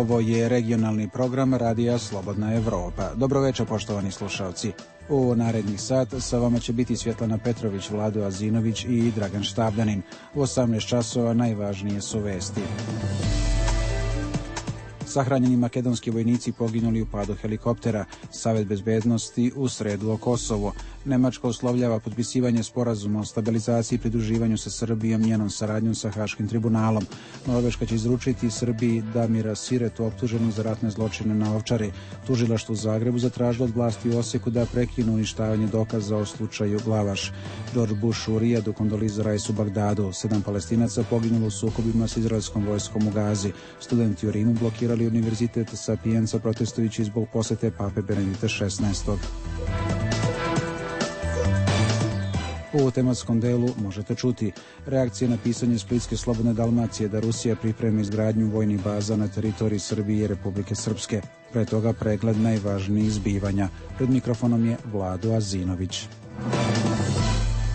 Ovo je regionalni program Radija Slobodna Evropa. Dobroveče, poštovani slušalci. U narednih sat sa vama će biti Svjetlana Petrović, Vlado Azinović i Dragan Štavljanin. U 18 časova najvažnije su vesti. Sahranjeni makedonski vojnici poginuli u padu helikoptera. Savet bezbednosti u sredu o Kosovu. Nemačka uslovljava potpisivanje sporazuma o stabilizaciji i pridruživanju sa Srbijom, njenom saradnjom sa Haškim tribunalom. Norveška će izručiti Srbiji Damira Siretu, optuženog za ratne zločine na Ovčari. Tužilaštvo u Zagrebu zatražilo od vlasti u Osijeku da prekinu uništavanje dokaza o slučaju Glavaš. George Bush u Rijadu kondoliza Raisu Bagdadu. 7 Palestinaca poginulo u sukobima s izraelskom vojskom u Gazi. Studenti u Rimu blokirali Univerzitet Sapienza protestujući zbog posete pape Benedikta XVI. U tematskom delu možete čuti reakcije na pisanje Splitske Slobodne Dalmacije da Rusija priprema izgradnju vojnih baza na teritoriji Srbije i Republike Srpske. Pre toga pregled najvažnijih zbivanja. Pred mikrofonom je Vlado Azinović.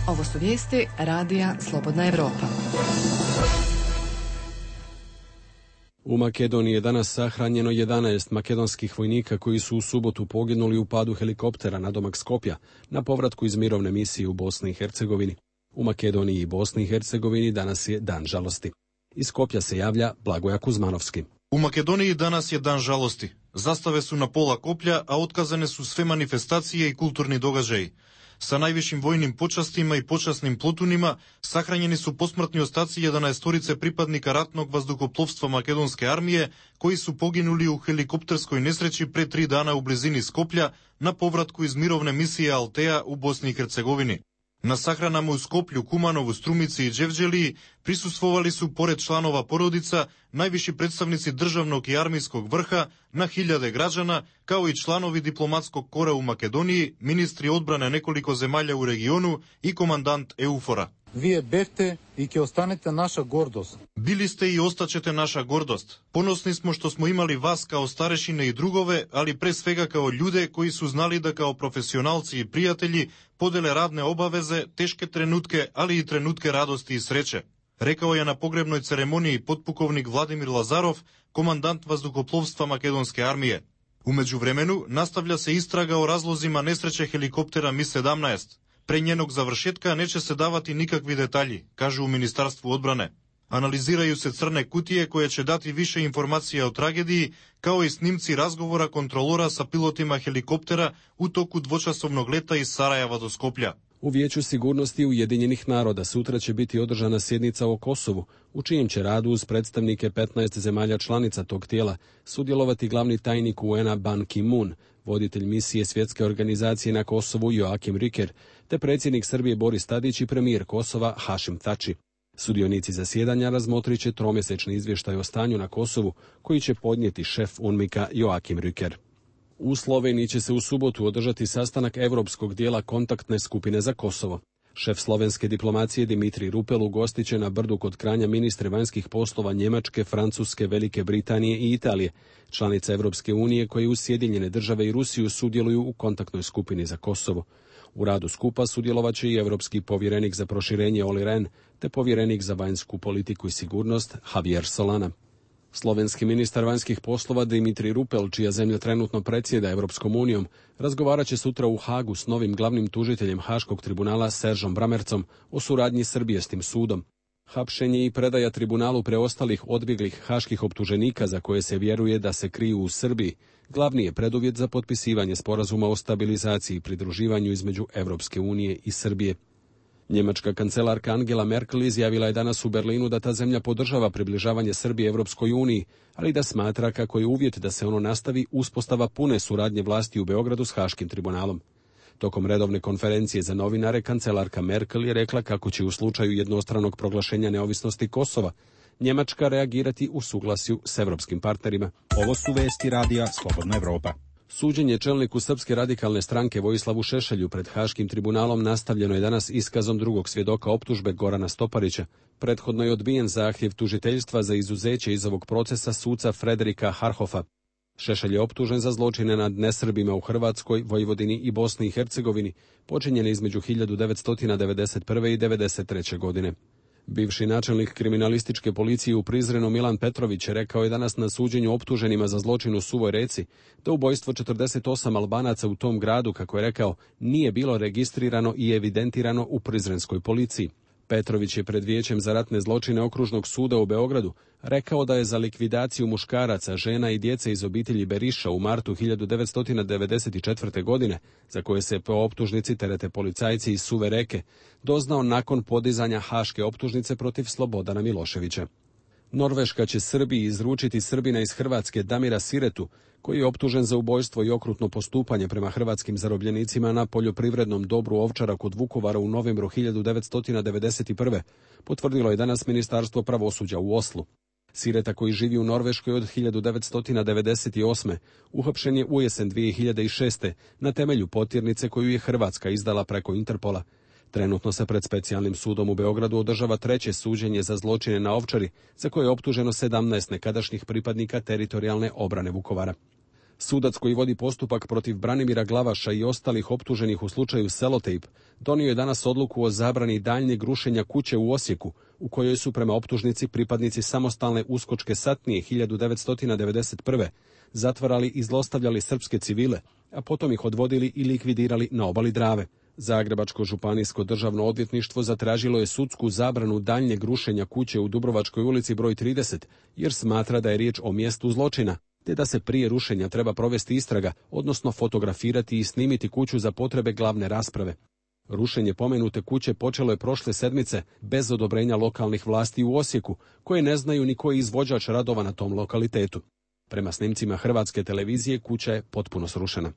Ovo su vijesti Radija Slobodna Evropa. U Makedoniji je danas sahranjeno 11 makedonskih vojnika koji su u subotu poginuli u padu helikoptera nadomak Skopja na povratku iz mirovne misije u Bosni i Hercegovini. U Makedoniji i Bosni i Hercegovini danas je dan žalosti. Iz Skopja se javlja Blagoja Kuzmanovski. U Makedoniji danas je dan žalosti. Zastave su na pola koplja, a otkazane su sve manifestacije i kulturni događaji. Sa najvišim vojnim počastima i počasnim plotunima sahranjeni su posmrtni ostaci 11 pripadnika ratnog vazduhoplovstva makedonske armije koji su poginuli u helikopterskoj nesreći pre 3 dana u blizini Skoplja na povratku iz mirovne misije Altea u Bosni i Hercegovini. Na sahranama u Skoplju, Kumanovu, Strumici i Đevđeliji prisustvovali su, pored članova porodica, najviši predstavnici državnog i armijskog vrha, na hiljade građana, kao i članovi diplomatskog kora u Makedoniji, ministri odbrane nekoliko zemalja u regionu i komandant EUFOR-a. Вие бевте и ќе останете наша гордост. Bili ste i ostaćete naša gordost. Ponosni smo što smo imali vas kao starešine i drugove, ali pre svega kao ljude koji su znali da kao profesionalci i prijatelji podele radne obaveze, teške trenutke, ali i trenutke radosti i sreće. Rekao je na pogrebnoj ceremoniji potpukovnik Vladimir Lazarov, komandant vazduhoplovstva makedonske armije. U međuvremenu nastavlja se istraga o razlozima nesreće helikoptera Mi-17. Pre njenog završetka neće se davati nikakvi detalji, kažu u Ministarstvu odbrane. Analiziraju se crne kutije koje će dati više informacija o tragediji, kao i snimci razgovora kontrolora sa pilotima helikoptera u toku dvočasovnog leta iz Sarajeva do Skoplja. U Vijeću sigurnosti Ujedinjenih naroda sutra će biti održana sjednica o Kosovu, u čijem će radu uz predstavnike 15 zemalja članica tog tijela sudjelovati glavni tajnik UN-a Ban Ki-moon, voditelj misije Svjetske organizacije na Kosovu Joakim Riker, te predsjednik Srbije Boris Tadić i premijer Kosova Hašim Tači. Sudionici zasjedanja razmotrit će tromjesečni izvještaj o stanju na Kosovu, koji će podnijeti šef UNMIK-a Joakim Riker. U Sloveniji će se u subotu održati sastanak europskog dijela kontaktne skupine za Kosovo. Šef slovenske diplomacije Dimitrij Rupel ugostit će na Brdu kod Kranja ministre vanjskih poslova Njemačke, Francuske, Velike Britanije i Italije, članice Evropske unije koje uz Sjedinjene države i Rusiju sudjeluju u kontaktnoj skupini za Kosovo. U radu skupa sudjelovat će i europski povjerenik za proširenje Olli Rehn, te povjerenik za vanjsku politiku i sigurnost Javier Solana. Slovenski ministar vanjskih poslova Dimitrij Rupel, čija zemlja trenutno predsjeda Evropskom unijom, razgovarat će sutra u Hagu s novim glavnim tužiteljem Haškog tribunala Seržom Bramercom o suradnji Srbije s tim sudom. Hapšenje i predaja tribunalu preostalih odbjeglih haških optuženika za koje se vjeruje da se kriju u Srbiji glavni je preduvjet za potpisivanje sporazuma o stabilizaciji i pridruživanju između Evropske unije i Srbije. Njemačka kancelarka Angela Merkel izjavila je danas u Berlinu da ta zemlja podržava približavanje Srbije Evropskoj uniji, ali da smatra kako je uvjet da se ono nastavi uspostava pune suradnje vlasti u Beogradu s Haškim tribunalom. Tokom redovne konferencije za novinare, kancelarka Merkel je rekla kako će u slučaju jednostranog proglašenja neovisnosti Kosova Njemačka reagirati u suglasju s evropskim partnerima. Ovo su vesti Radija Slobodna Evropa. Suđenje čelniku Srpske radikalne stranke Vojislavu Šešelju pred Haškim tribunalom nastavljeno je danas iskazom drugog svjedoka optužbe Gorana Stoparića. Prethodno je odbijen zahtjev tužiteljstva za izuzeće iz ovog procesa suca Frederika Harhofa. Šešelj je optužen za zločine nad nesrbima u Hrvatskoj, Vojvodini i Bosni i Hercegovini, počinjene između 1991. i 1993. godine. Bivši načelnik kriminalističke policije u Prizrenu Milan Petrović rekao je danas na suđenju optuženima za zločin u Suvoj Reci da ubojstvo 48 Albanaca u tom gradu, kako je rekao, nije bilo registrirano i evidentirano u prizrenskoj policiji. Petrović je pred Vijećem za ratne zločine Okružnog suda u Beogradu rekao da je za likvidaciju muškaraca, žena i djece iz obitelji Beriša u martu 1994. godine, za koje se po optužnici terete policajci iz Suve Reke, doznao nakon podizanja haške optužnice protiv Slobodana Miloševića. Norveška će Srbiji izručiti Srbina iz Hrvatske Damira Siretu, koji je optužen za ubojstvo i okrutno postupanje prema hrvatskim zarobljenicima na poljoprivrednom dobru Ovčara kod Vukovara u novembru 1991. potvrdilo je danas Ministarstvo pravosuđa u Oslu. Sireta, koji živi u Norveškoj od 1998. uhapšen je ujesen 2006. na temelju potirnice koju je Hrvatska izdala preko Interpola. Trenutno se pred specijalnim sudom u Beogradu održava treće suđenje za zločine na Ovčari, za koje je optuženo 17 nekadašnjih pripadnika teritorijalne obrane Vukovara. Sudac koji vodi postupak protiv Branimira Glavaša i ostalih optuženih u slučaju Selotejp donio je danas odluku o zabrani daljnjeg rušenja kuće u Osijeku, u kojoj su prema optužnici pripadnici samostalne uskočke satnije 1991. zatvarali i zlostavljali srpske civile, a potom ih odvodili i likvidirali na obali Drave. Zagrebačko županijsko državno odvjetništvo zatražilo je sudsku zabranu daljnjeg rušenja kuće u Dubrovačkoj ulici broj 30, jer smatra da je riječ o mjestu zločina, te da se prije rušenja treba provesti istraga, odnosno fotografirati i snimiti kuću za potrebe glavne rasprave. Rušenje pomenute kuće počelo je prošle sedmice bez odobrenja lokalnih vlasti u Osijeku, koje ne znaju ni koji izvođač radova na tom lokalitetu. Prema snimcima Hrvatske televizije kuća je potpuno srušena.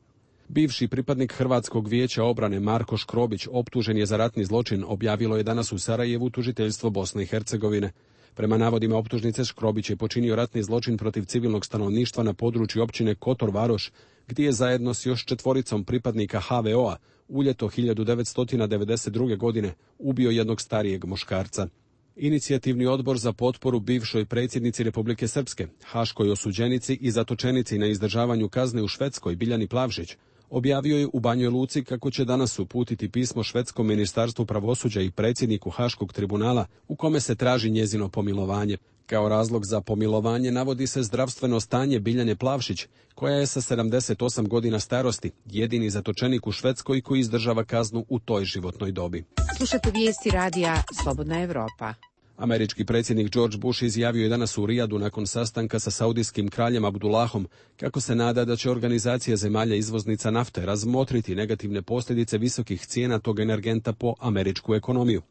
Bivši pripadnik Hrvatskog vijeća obrane Marko Škrobić optužen je za ratni zločin, objavilo je danas u Sarajevu tužiteljstvo Bosne i Hercegovine. Prema navodima optužnice, Škrobić je počinio ratni zločin protiv civilnog stanovništva na području općine Kotor Varoš, gdje je zajedno s još 4 pripadnika HVO-a u ljeto 1992. godine ubio jednog starijeg muškarca. Inicijativni odbor za potporu bivšoj predsjednici Republike Srpske, haškoj osuđenici i zatočenici na izdržavanju kazne u Švedskoj Biljani Plavšić, objavio je u Banjoj Luci kako će danas uputiti pismo Švedskom ministarstvu pravosuđa i predsjedniku Haškog tribunala u kome se traži njezino pomilovanje. Kao razlog za pomilovanje navodi se zdravstveno stanje Biljane Plavšić, koja je sa 78 godina starosti jedini zatočenik u Švedskoj koji izdržava kaznu u toj životnoj dobi. Slušate vijesti radija Slobodna Evropa. Američki predsjednik George Bush izjavio je danas u Rijadu nakon sastanka sa saudijskim kraljem Abdullahom kako se nada da će organizacija zemalja izvoznica nafte razmotriti negativne posljedice visokih cijena tog energenta po američku ekonomiju.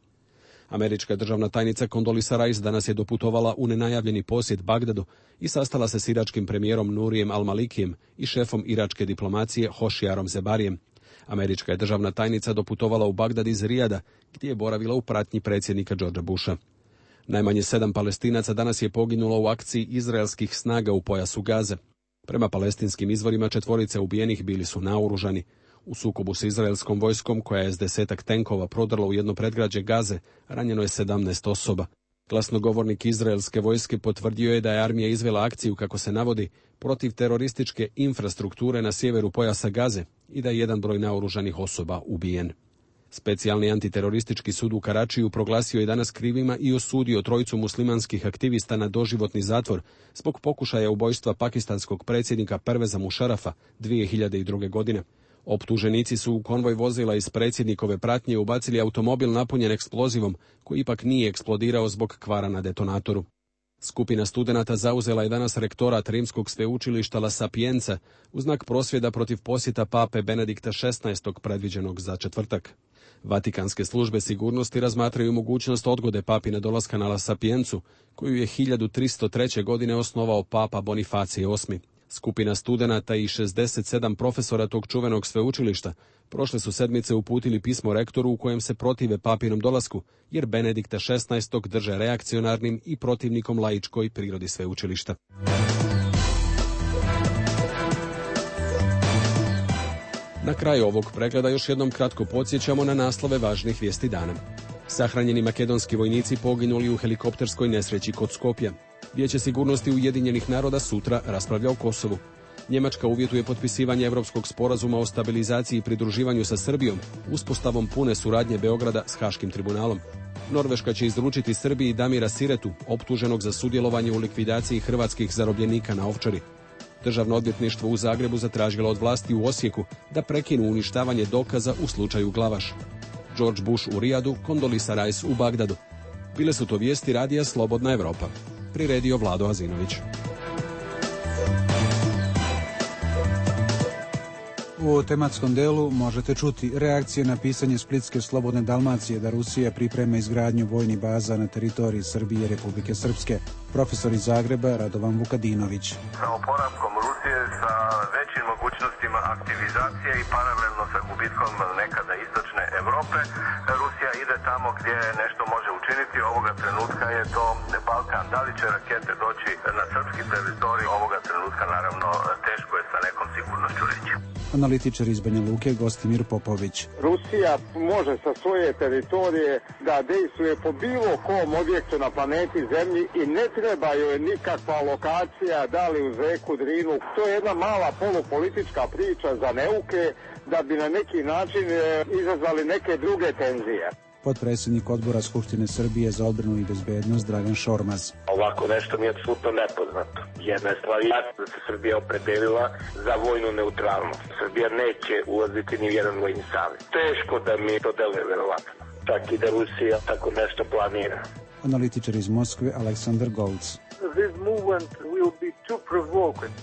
Američka državna tajnica Condoleezza Rice danas je doputovala u nenajavljeni posjet Bagdadu i sastala se s iračkim premijerom Nurijem Al-Malikijem i šefom iračke diplomacije Hošijarom Zebarijem. Američka je državna tajnica doputovala u Bagdad iz Rijada, gdje je boravila u pratnji predsjednika Georgea Busha. Najmanje 7 Palestinaca danas je poginulo u akciji izraelskih snaga u pojasu Gaze. Prema palestinskim izvorima 4 ubijenih bili su naoružani. U sukobu s izraelskom vojskom, koja je s 10 tenkova prodrla u jedno predgrađe Gaze, ranjeno je 17 osoba. Glasnogovornik izraelske vojske potvrdio je da je armija izvela akciju, kako se navodi, protiv terorističke infrastrukture na sjeveru pojasa Gaze i da je jedan broj naoružanih osoba ubijen. Specijalni antiteroristički sud u Karačiju proglasio je danas krivima i osudio 3 muslimanskih aktivista na doživotni zatvor zbog pokušaja ubojstva pakistanskog predsjednika Perveza Mušarafa 2002. godine. Optuženici su u konvoj vozila iz predsjednikove pratnje ubacili automobil napunjen eksplozivom, koji ipak nije eksplodirao zbog kvara na detonatoru. Skupina studenata zauzela je danas rektorat Rimskog sveučilišta La Sapienza u znak prosvjeda protiv posjeta pape Benedikta XVI. Predviđenog za četvrtak. Vatikanske službe sigurnosti razmatraju mogućnost odgode papine dolaska na La Sapienzu, koju je 1303. godine osnovao papa Bonifacije VIII. Skupina studenata i 67 profesora tog čuvenog sveučilišta prošle su sedmice uputili pismo rektoru u kojem se protive papinom dolasku, jer Benedikta XVI. Drže reakcionarnim i protivnikom laičkoj prirodi sveučilišta. Na kraju ovog pregleda još jednom kratko podsjećamo na naslove važnih vijesti dana. Sahranjeni makedonski vojnici poginuli u helikopterskoj nesreći kod Skopja. Vijeće sigurnosti Ujedinjenih naroda sutra raspravlja o Kosovu. Njemačka uvjetuje potpisivanje Evropskog sporazuma o stabilizaciji i pridruživanju sa Srbijom, uspostavom pune suradnje Beograda s Haškim tribunalom. Norveška će izručiti Srbiji Damira Siretu, optuženog za sudjelovanje u likvidaciji hrvatskih zarobljenika na Ovčari. Državno odvjetništvo u Zagrebu zatražilo od vlasti u Osijeku da prekinu uništavanje dokaza u slučaju Glavaš. George Bush u Rijadu, Condoleezza Rice u Bagdadu. Bile su to vijesti radija Slobodna Evropa. Priredio Vlado Azinović. U tematskom delu možete čuti reakcije na pisanje Splitske Slobodne Dalmacije da Rusija priprema izgradnju vojnih baza na teritoriji Srbije i Republike Srpske. Profesor iz Zagreba Radovan Vukadinović. Sa oporavkom Rusije, sa većim mogućnostima aktivizacije i paralelno sa gubitkom nekada istočne Evrope, Rusija ide tamo gdje nešto može učiniti. Ovoga trenutka je to Balkan. Da li će rakete doći na srpski teritorij? Ovoga trenutka naravno teško je sa nekom sigurnošću reći. Analitičar iz Banja Luke Gostimir Popović. Rusija može sa svoje teritorije da dejstvuje po bilo kom objektu na planeti Zemlji i ne treba joj nikakva lokacija, da li uz reku Drinu. To je jedna mala polupolitička priča za neuke da bi na neki način izazvali neke druge tenzije. Potpredsjednik odbora Skupštine Srbije za odbranu i bezbednost Dragan Šormaz. Ovako nešto mi je apsolutno nepoznato. Jedna je stvar jasna da se Srbija opredelila za vojnu neutralnost. Srbija neće ulaziti ni u jedan vojni savez. Teško da mi to deluje verovatno. Čak i da Rusija tako nešto planira. Analitičar iz Moskve Aleksandar Golc.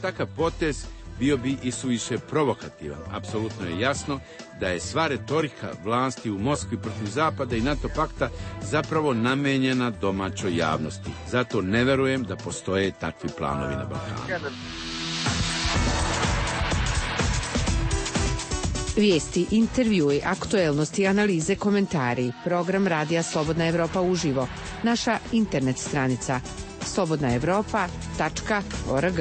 Takav potez bio bi i suviše provokativan. Apsolutno je jasno da je sva retorika vlasti u Moskvi protiv Zapada i NATO pakta zapravo namenjena domaćoj javnosti. Zato ne verujem da postoje takvi planovi na Balkanu. Vijesti, intervjui, aktuelnosti, analize, komentari. Program Radija Slobodna Evropa uživo. Naša internet stranica slobodnaevropa.org.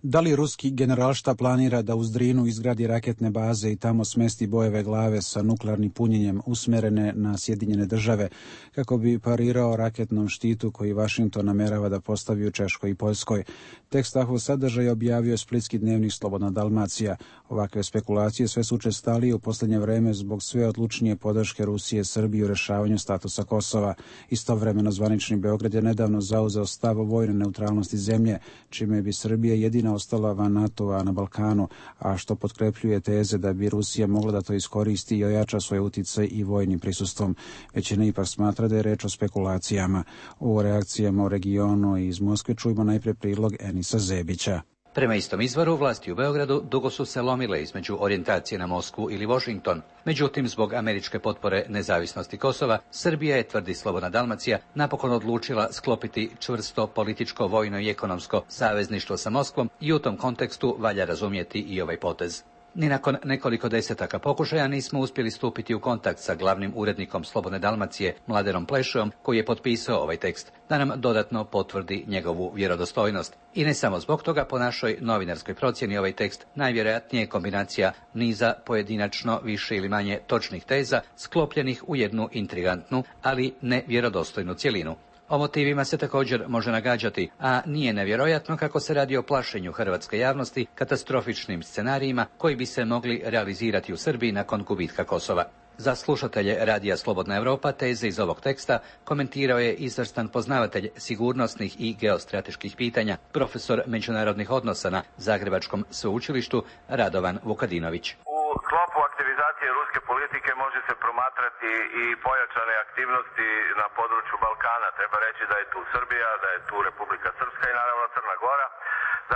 Da li ruski generalštab planira da uz Drinu izgradi raketne baze i tamo smesti bojeve glave sa nuklearnim punjenjem usmerene na Sjedinjene države kako bi parirao raketnom štitu koji Vašington namerava da postavi u Češkoj i Poljskoj? Tekst takvog sadržaja objavio splitski dnevnik Slobodna Dalmacija. Ovakve spekulacije sve su učestalije u posljednje vreme zbog sve odlučnije podrške Rusije Srbiji u rešavanju statusa Kosova. Istovremeno zvanični Beograd je nedavno zauzeo stav o vojnoj neutralnosti zemlje, čime bi Srbija jedina ostala van NATO-a na Balkanu, a što potkrepljuje teze da bi Rusija mogla da to iskoristi i ojača svoj uticaj i vojnim prisustvom. Većina ipak smatra da je reč o spekulacijama. O reakcijama u regionu i iz Moskve čujemo najpre prilog Enisa Zebića. Prema istom izvoru, vlasti u Beogradu dugo su se lomile između orijentacije na Moskvu ili Washington. Međutim, zbog američke potpore nezavisnosti Kosova, Srbija je, tvrdi Slobodna Dalmacija, napokon odlučila sklopiti čvrsto političko, vojno i ekonomsko savezništvo sa Moskvom i u tom kontekstu valja razumjeti i ovaj potez. Ni nakon nekoliko desetaka pokušaja nismo uspjeli stupiti u kontakt sa glavnim urednikom Slobodne Dalmacije, Mladenom Plešojom, koji je potpisao ovaj tekst, da nam dodatno potvrdi njegovu vjerodostojnost. I ne samo zbog toga, po našoj novinarskoj procjeni ovaj tekst najvjerojatnije je kombinacija niza pojedinačno više ili manje točnih teza, sklopljenih u jednu intrigantnu, ali ne vjerodostojnu cjelinu. O motivima se također može nagađati, a nije nevjerojatno kako se radi o plašenju hrvatske javnosti katastrofičnim scenarijima koji bi se mogli realizirati u Srbiji nakon gubitka Kosova. Za slušatelje Radija Slobodna Evropa teze iz ovog teksta komentirao je izvrstan poznavatelj sigurnosnih i geostrateških pitanja, profesor međunarodnih odnosa na Zagrebačkom sveučilištu Radovan Vukadinović. U sklopu aktivizacije ruske politike može se promatrati i pojačane aktivnosti na području Balkana. Treba reći da je tu Srbija, da je tu Republika Srpska i naravno Crna Gora.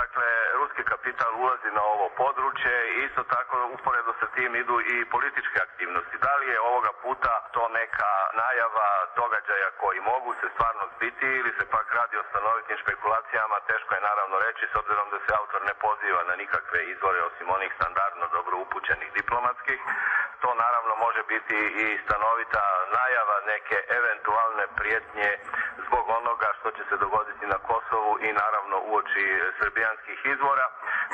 Dakle, ruski kapital ulazi na ovo područje i isto tako uporedo sa tim idu i političke aktivnosti. Da li je ovoga puta to neka najava događaja koji mogu se stvarno zbiti ili se pak radi o stanovitim špekulacijama, teško je naravno reći s obzirom da se autor ne poziva na nikakve izvore osim onih standardno dobro upućenih diplomatskih. To naravno može biti i stanovita najava neke eventualne prijetnje zbog onoga što će se dogoditi na Kosovu i naravno uoči srbijanskih izvora.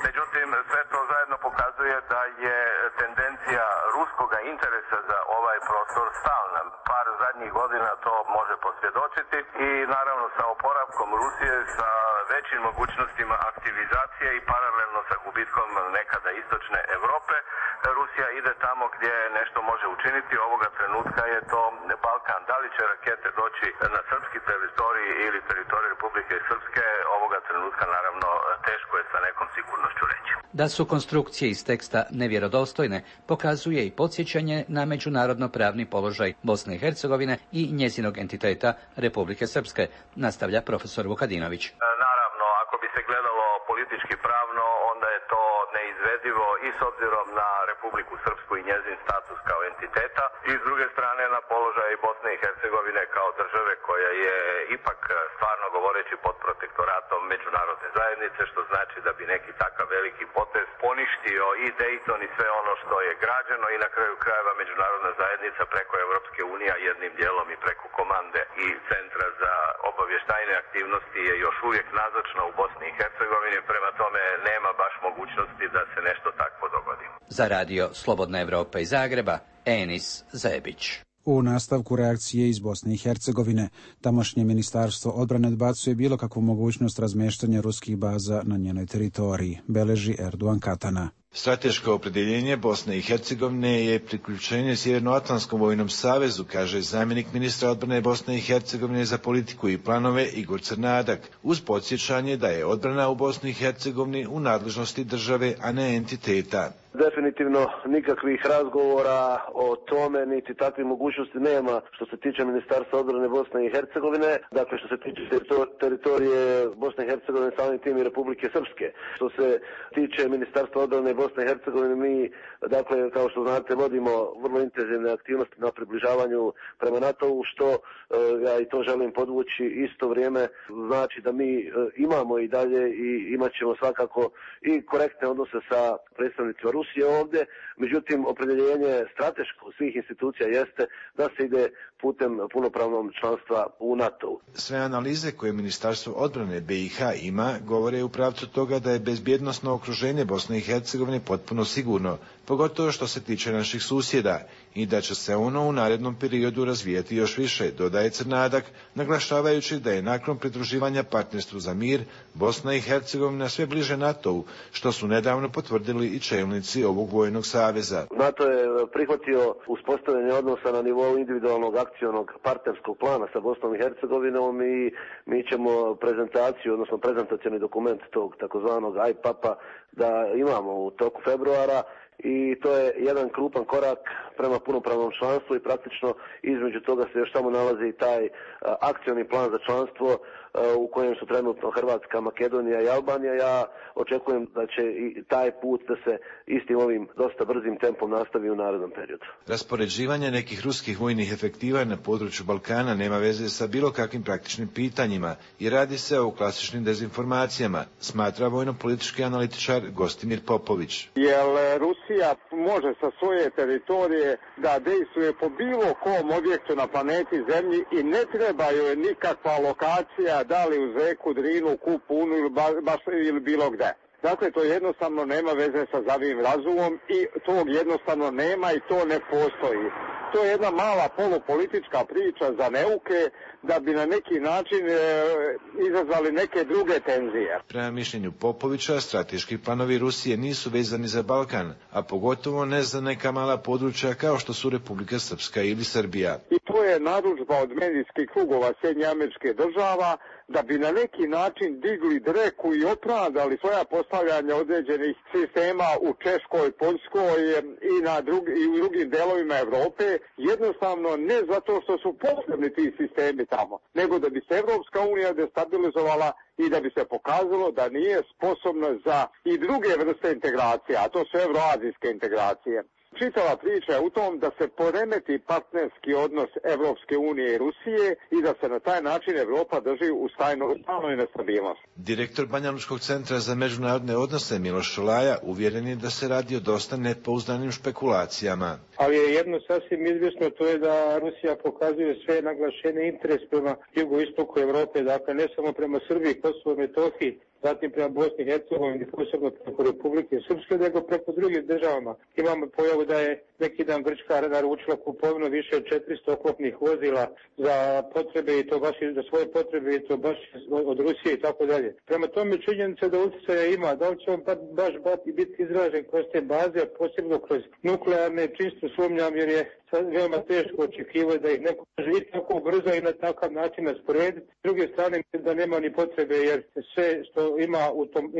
Međutim, sve to zajedno pokazuje da je tendencija ruskoga interesa za ovaj prostor stalna. Par zadnjih godina to može posvjedočiti i naravno sa oporavkom Rusije, sa većim mogućnostima aktivizacije i paralelno sa gubitkom nekada istočne Europe, Rusija ide tamo gdje nešto može učiniti. Ovoga trenutka je to Balkan. Da li će rakete doći na srpski teritorij ili teritorij Republike Srpske, ovoga trenutka naravno teško je sa nekom sigurnošću reći. Da su konstrukcije iz teksta nevjerodostojne pokazuje i podsjećanje na međunarodno-pravni položaj Bosne i Hercegovine i njezinog entiteta Republike Srpske, nastavlja profesor Vukadinović. Naravno, ako bi se gledalo politički pravno, onda je to neizvedivo i s obzirom na Republiku Srpsku i njezin status kao entiteta i s druge strane na položaj Bosne i Hercegovine kao države koja je ipak stvarno govoreći pod protektoratom međunarodne zajednice, što znači da bi neki takav veliki potez poništio i Dayton i sve ono što je građeno i na kraju krajeva međunarodna zajednica preko Evropske unije, jednim dijelom i preko komande i Centra za obavještajne aktivnosti je još uvijek nazočna u Bosni i Hercegovini, prema tome nema baš mogućnosti da se nešto takvo dogodi. Za radio Slobodna Evropa iz Zagreba, Enis Zebić. U nastavku reakcije iz Bosne i Hercegovine, tamošnje ministarstvo odbrane odbacuje bilo kakvu mogućnost razmeštanja ruskih baza na njenoj teritoriji, beleži Erdogan Katana. Strateško opredjeljenje Bosne i Hercegovine je priključenje Sjevernoatlantskom vojnom savezu, kaže zamjenik ministra odbrane Bosne i Hercegovine za politiku i planove Igor Crnadak, uz podsjećanje da je odbrana u Bosni i Hercegovini u nadležnosti države, a ne entiteta. Definitivno nikakvih razgovora o tome, niti takvih mogućnosti nema što se tiče Ministarstva odbrane Bosne i Hercegovine. Dakle, što se tiče teritorije Bosne i Hercegovine, samim tim i Republike Srpske. Što se tiče Ministarstva odbrane Bosne i Hercegovine, mi, dakle, kao što znate, vodimo vrlo intenzivne aktivnosti na približavanju prema NATO-u, što ja i to želim podvući, isto vrijeme znači da mi imamo i dalje i imat ćemo svakako i korektne odnose sa predstavnicima Rusije ovdje, međutim opredjeljenje strateško svih institucija jeste da se ide putem punopravnog članstva u NATO-u. Sve analize koje Ministarstvo odbrane BiH ima govore u pravcu toga da je bezbjednosno okruženje Bosne i Hercegovine potpuno sigurno, pogotovo što se tiče naših susjeda, i da će se ono u narednom periodu razvijati još više, dodaje Crnadak, naglašavajući da je nakon pridruživanja partnerstvu za mir Bosna i Hercegovina sve bliže NATO-u, što su nedavno potvrdili i čelnici ovog vojnog saveza. NATO je prihvatio uspostavljanje odnosa na nivou individualnog akcionog partnerskog plana sa Bosnom i Hercegovinom i mi ćemo prezentaciju, odnosno prezentacioni dokument tog takozvanog IPAP-a da imamo u toku februara. I to je jedan krupan korak prema punopravnom članstvu i praktično između toga se još samo nalazi i taj akcioni plan za članstvo u kojem su trenutno Hrvatska, Makedonija i Albanija. Ja očekujem da će i taj put da se istim ovim dosta brzim tempom nastavi u narednom periodu. Raspoređivanje nekih ruskih vojnih efektiva na području Balkana nema veze sa bilo kakvim praktičnim pitanjima i radi se o klasičnim dezinformacijama, smatra vojno-politički analitičar Gostimir Popović. Jer Rusija može sa svoje teritorije da dejstvuje po bilo kom objektu na planeti Zemlji i ne treba joj nikakva lokacija, da li uz reku Drinu, Kupunu ili bilo gde. Dakle, to jednostavno nema veze sa zdravim razumom i tog jednostavno nema i to ne postoji. To je jedna mala polupolitička priča za neuke da bi na neki način izazvali neke druge tenzije. Prema mišljenju Popovića, strateški planovi Rusije nisu vezani za Balkan, a pogotovo ne za neka mala područja kao što su Republika Srpska ili Srbija. I to je narudžba od medijskih krugova Sjedinjenih Američkih Država da bi na neki način digli dreku i opravdali svoja postavljanja određenih sistema u Češkoj, Poljskoj i u drugim delovima Evrope, jednostavno ne zato što su potrebni ti sistemi tamo, nego da bi se Evropska unija destabilizovala i da bi se pokazalo da nije sposobna za i druge vrste integracija, a to su evroazijske integracije. Čitava priča je u tom da se poremeti partnerski odnos Evropske unije i Rusije i da se na taj način Evropa drži u stalnoj nestabilnosti. Direktor Banjalučkog centra za međunarodne odnose Miloš Šolaja uvjeren je da se radi o dosta nepouzdanim špekulacijama. Ali je jedno sasvim izvjesno, to je da Rusija pokazuje sve naglašeni interes prema jugoistoku Evrope, dakle ne samo prema Srbiji, Kosovo, Metohiji, zatim prema Bosni i Hercegovini, posebno preko Republike Srpske, nego preko drugih državama. Imamo pojavu da je neki dan Grčka naručila kupovinu više od 400 oklopnih vozila za potrebe i to baš za svoje potrebe i to baš od Rusije i tako dalje. Prema tome činjenica da utjecaja ima, da li će on baš biti izražen kroz te baze, a posebno kroz nuklearne, čisto sumnjam jer je veoma teško očekivati da ih neko živi tako brzo i na takav način rasporediti. S druge strane da nema ni potrebe jer sve što ima u tom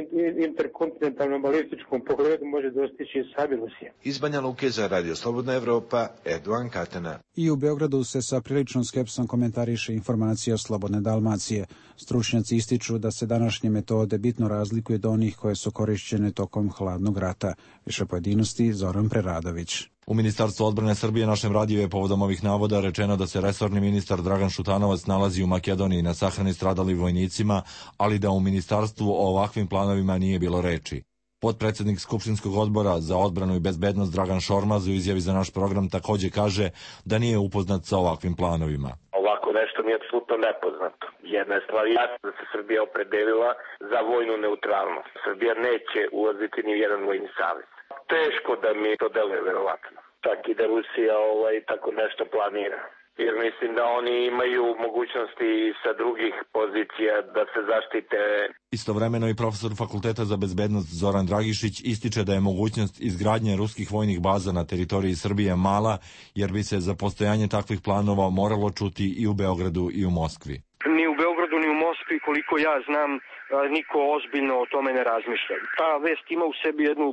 interkontinentalnom balističkom pogledu može dostići i sami Rusija. Iz Banja Luke za Radio Slobodna Evropa, Erdogan Katana. I u Beogradu se sa priličnom skepsom komentariše informacija Slobodne Dalmacije. Stručnjaci ističu da se današnje metode bitno razlikuju od onih koje su korišćene tokom hladnog rata. Više pojedinosti Zoran Preradović. U Ministarstvu odbrane Srbije našem radiju je povodom ovih navoda rečeno da se resorni ministar Dragan Šutanovac nalazi u Makedoniji na sahrani stradalim vojnicima, ali da u ministarstvu o ovakvim planovima nije bilo reči. Potpredsednik Skupštinskog odbora za odbranu i bezbednost Dragan Šormaz u izjavi za naš program takođe kaže da nije upoznat sa ovakvim planovima. Ovako nešto mi je apsolutno nepoznato. Jedna je stvar jasna da se Srbija opredelila za vojnu neutralnost. Srbija neće ulaziti ni u jedan vojni savez. Teško da mi to deluje verovatno. Čak i da Rusija tako nešto planira. Jer mislim da oni imaju mogućnosti sa drugih pozicija da se zaštite. Istovremeno i profesor Fakulteta za bezbednost Zoran Dragišić ističe da je mogućnost izgradnje ruskih vojnih baza na teritoriji Srbije mala, jer bi se za postojanje takvih planova moralo čuti i u Beogradu i u Moskvi. Ni u Beogradu ni u Moskvi, koliko ja znam, niko ozbiljno o tome ne razmišlja. Ta vest ima u sebi jednu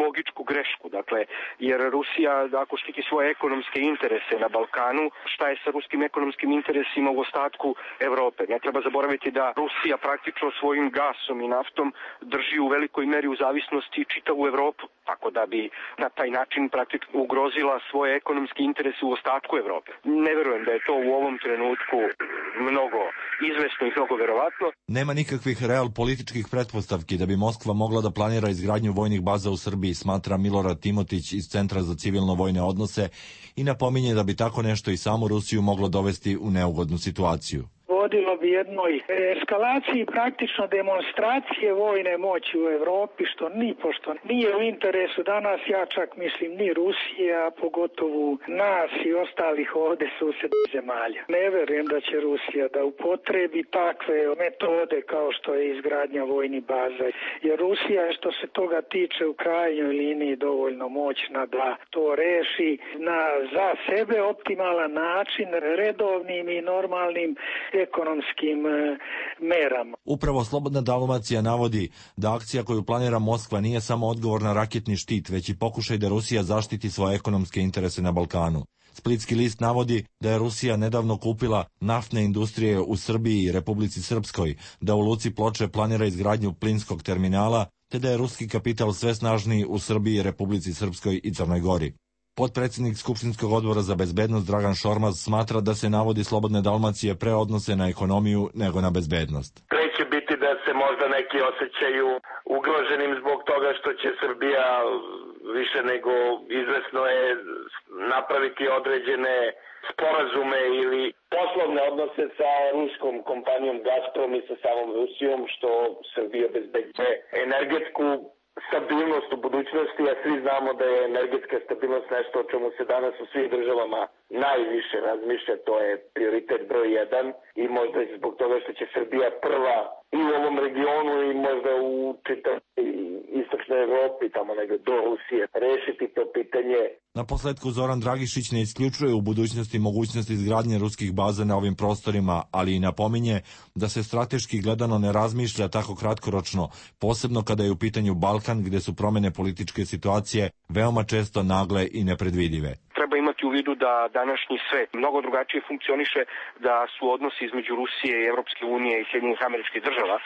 logičku grešku, dakle, jer Rusija, ako štiti svoje ekonomske interese na Balkanu, šta je sa ruskim ekonomskim interesima u ostatku Evrope? Ne treba zaboraviti da Rusija praktično svojim gasom i naftom drži u velikoj meri u zavisnosti čitavu Evropu, tako da bi na taj način praktično ugrozila svoje ekonomske interese u ostatku Evrope. Ne verujem da je to u ovom trenutku mnogo izvesno i mnogo verovatno. Nema nikakvih političkih pretpostavki da bi Moskva mogla da planira izgradnju vojnih baza u Srbiji, smatra Milorad Timotić iz Centra za civilno-vojne odnose i napominje da bi tako nešto i samu Rusiju moglo dovesti u neugodnu situaciju. Vodilo bi jednoj eskalaciji praktično demonstracije vojne moći u Evropi, što nipošto nije u interesu danas, ja čak mislim ni Rusije, a pogotovo nas i ostalih ovde susednih zemalja. Ne verujem da će Rusija da upotrebi takve metode kao što je izgradnja vojnih baza, jer Rusija je što se toga tiče u krajnjoj liniji dovoljno moćna da to reši na za sebe optimalan način, redovnim i normalnim ekonomskim merama. Upravo Slobodna Dalmacija navodi da akcija koju planira Moskva nije samo odgovor na raketni štit, već i pokušaj da Rusija zaštiti svoje ekonomske interese na Balkanu. Splitski list navodi da je Rusija nedavno kupila naftne industrije u Srbiji i Republici Srpskoj, da u luci Ploče planira izgradnju plinskog terminala, te da je ruski kapital sve snažniji u Srbiji, Republici Srpskoj i Crnoj Gori. Potpredsednik Skupštinskog odbora za bezbednost Dragan Šormaz smatra da se navodi Slobodne Dalmacije pre odnose na ekonomiju nego na bezbednost. Pre će biti da se možda neki osjećaju ugroženim zbog toga što će Srbija više nego izvesno je napraviti određene sporazume ili poslovne odnose sa ruskom kompanijom Gazprom i sa samom Rusijom, što Srbija obezbeđuje energetsku stabilnost u budućnosti, a svi znamo da je energetska stabilnost nešto o čemu se danas u svih državama najviše razmišlja, to je prioritet broj 1 i možda zbog toga što će Srbija prva i u ovom regionu i možda u čitavoj istočnoj Evropi, tamo negde do Rusije, rešiti to pitanje. Na posledku Zoran Dragišić ne isključuje u budućnosti mogućnost izgradnje ruskih baza na ovim prostorima, ali i napominje da se strateški gledano ne razmišlja tako kratkoročno, posebno kada je u pitanju Balkan, gde su promene političke situacije veoma često nagle i nepredvidive. Treba imati u vidu da današnji svet mnogo drugačije funkcioniše, da su odnosi između Rusije i Evropske unije i Sjedinjenih Američkih Država,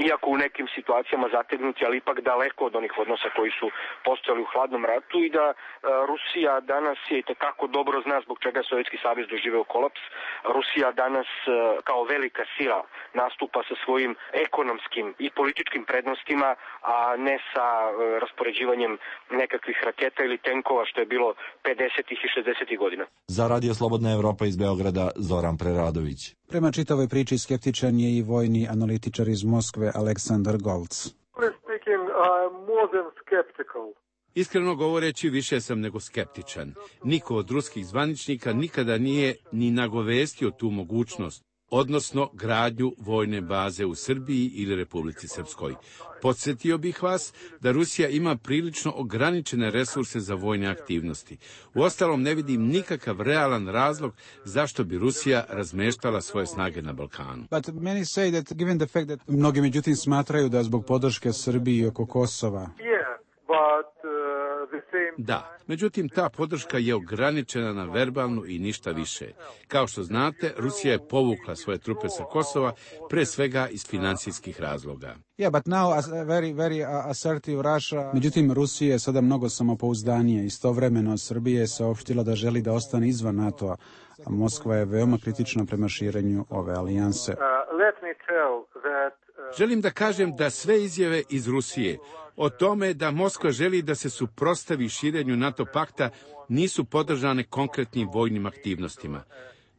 iako u nekim situacijama zategnuti, ali ipak daleko od onih odnosa koji su postojali u hladnom ratu i da Rusija danas je i tekako dobro zna zbog čega je Sovjetski savez doživeo kolaps. Rusija danas kao velika sila nastupa sa svojim ekonomskim i političkim prednostima, a ne sa raspoređivanjem nekakvih raketa ili tenkova što je bilo 50. i 90. godina. Za Radio Slobodna Evropa iz Beograda, Zoran Preradović. Prema čitavoj priči skeptičan je i vojni analitičar iz Moskve Aleksandar Golc. Iskreno govoreći, više sam nego skeptičan. Niko od ruskih zvaničnika nikada nije ni nagovestio tu mogućnost, odnosno gradnju vojne baze u Srbiji ili Republici Srpskoj. Podsjetio bih vas da Rusija ima prilično ograničene resurse za vojne aktivnosti. Uostalom, ne vidim nikakav realan razlog zašto bi Rusija razmeštala svoje snage na Balkanu. Mnogi međutim smatraju da zbog podrške Srbiji oko Kosova. Da, međutim ta podrška je ograničena na verbalnu i ništa više. Kao što znate, Rusija je povukla svoje trupe sa Kosova, pre svega iz financijskih razloga. Međutim, Rusija je sada mnogo samopouzdanije. Istovremeno Srbija je saopštila da želi da ostane izvan NATO-a, a Moskva je veoma kritična prema širenju ove alijanse. Želim da kažem da sve izjave iz Rusije o tome da Moskva želi da se suprotstavi širenju NATO pakta nisu podržane konkretnim vojnim aktivnostima.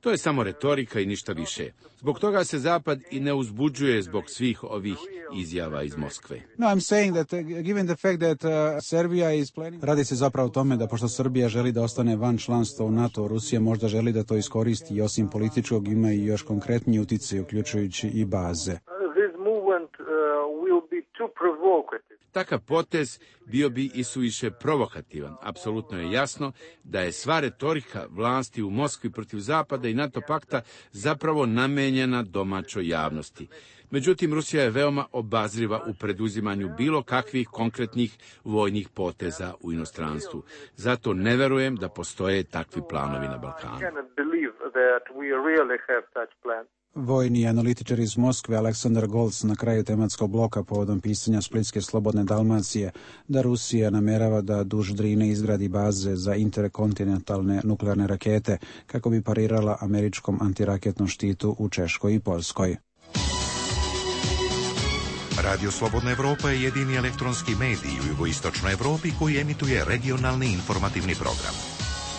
To je samo retorika i ništa više. Zbog toga se Zapad i ne uzbuđuje zbog svih ovih izjava iz Moskve. Radi se zapravo o tome da pošto Srbija želi da ostane van članstva u NATO, Rusija možda želi da to iskoristi i osim političkog ima i još konkretniji uticaj, uključujući i baze. Takav potez bio bi i suviše provokativan. Apsolutno je jasno da je sva retorika vlasti u Moskvi protiv Zapada i NATO pakta zapravo namenjena domaćoj javnosti. Međutim, Rusija je veoma obazriva u preduzimanju bilo kakvih konkretnih vojnih poteza u inostranstvu. Zato ne verujem da postoje takvi planovi na Balkanu. Vojni analitičar iz Moskve Aleksandar Golc na kraju tematskog bloka povodom pisanja Splitske Slobodne Dalmacije da Rusija namerava da duž Drine izgradi baze za interkontinentalne nuklearne rakete kako bi parirala američkom antiraketnom štitu u Češkoj i Poljskoj. Radio Slobodna Evropa je jedini elektronski medij u jugoistočnoj Evropi koji emituje regionalni informativni program.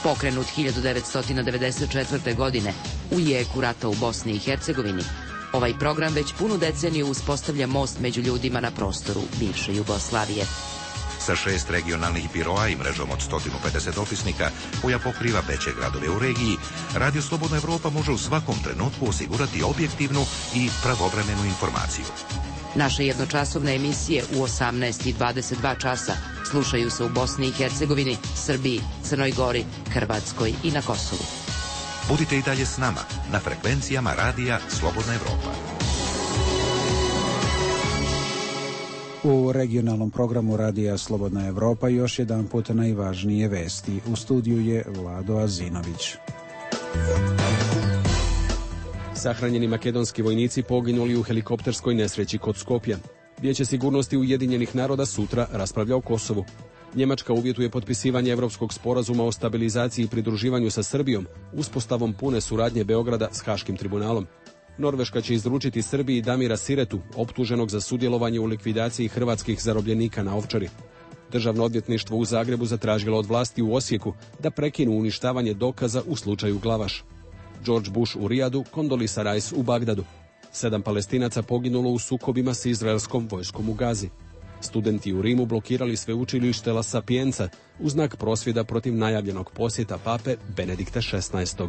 Pokrenut 1994. godine u jeku rata u Bosni i Hercegovini, ovaj program već punu deceniju uspostavlja most među ljudima na prostoru bivše Jugoslavije. Sa 6 regionalnih biroa i mrežom od 150 dopisnika koja pokriva veće gradove u regiji, Radio Slobodna Evropa može u svakom trenutku osigurati objektivnu i pravovremenu informaciju. Naše jednočasovne emisije u 18 i 22 časa slušaju se u Bosni i Hercegovini, Srbiji, Crnoj Gori, Hrvatskoj i na Kosovu. Budite i dalje s nama na frekvencijama Radija Slobodna Evropa. U regionalnom programu Radija Slobodna Evropa još jedan put najvažnije vesti. U studiju je Vlado Azinović. Sahranjeni makedonski vojnici poginuli u helikopterskoj nesreći kod Skopja. Vijeće sigurnosti Ujedinjenih naroda sutra raspravlja o Kosovu. Njemačka uvjetuje potpisivanje Evropskog sporazuma o stabilizaciji i pridruživanju sa Srbijom, uspostavom pune suradnje Beograda s Haškim tribunalom. Norveška će izručiti Srbiji Damira Siretu, optuženog za sudjelovanje u likvidaciji hrvatskih zarobljenika na Ovčari. Državno odvjetništvo u Zagrebu zatražilo od vlasti u Osijeku da prekinu uništavanje dokaza u slučaju Glavaš. George Bush u Rijadu, Condoleezza Rice u Bagdadu. 7 Palestinaca poginulo u sukobima s izraelskom vojskom u Gazi. Studenti u Rimu blokirali sveučilište La Sapienza u znak prosvjeda protiv najavljenog posjeta pape Benedikta XVI.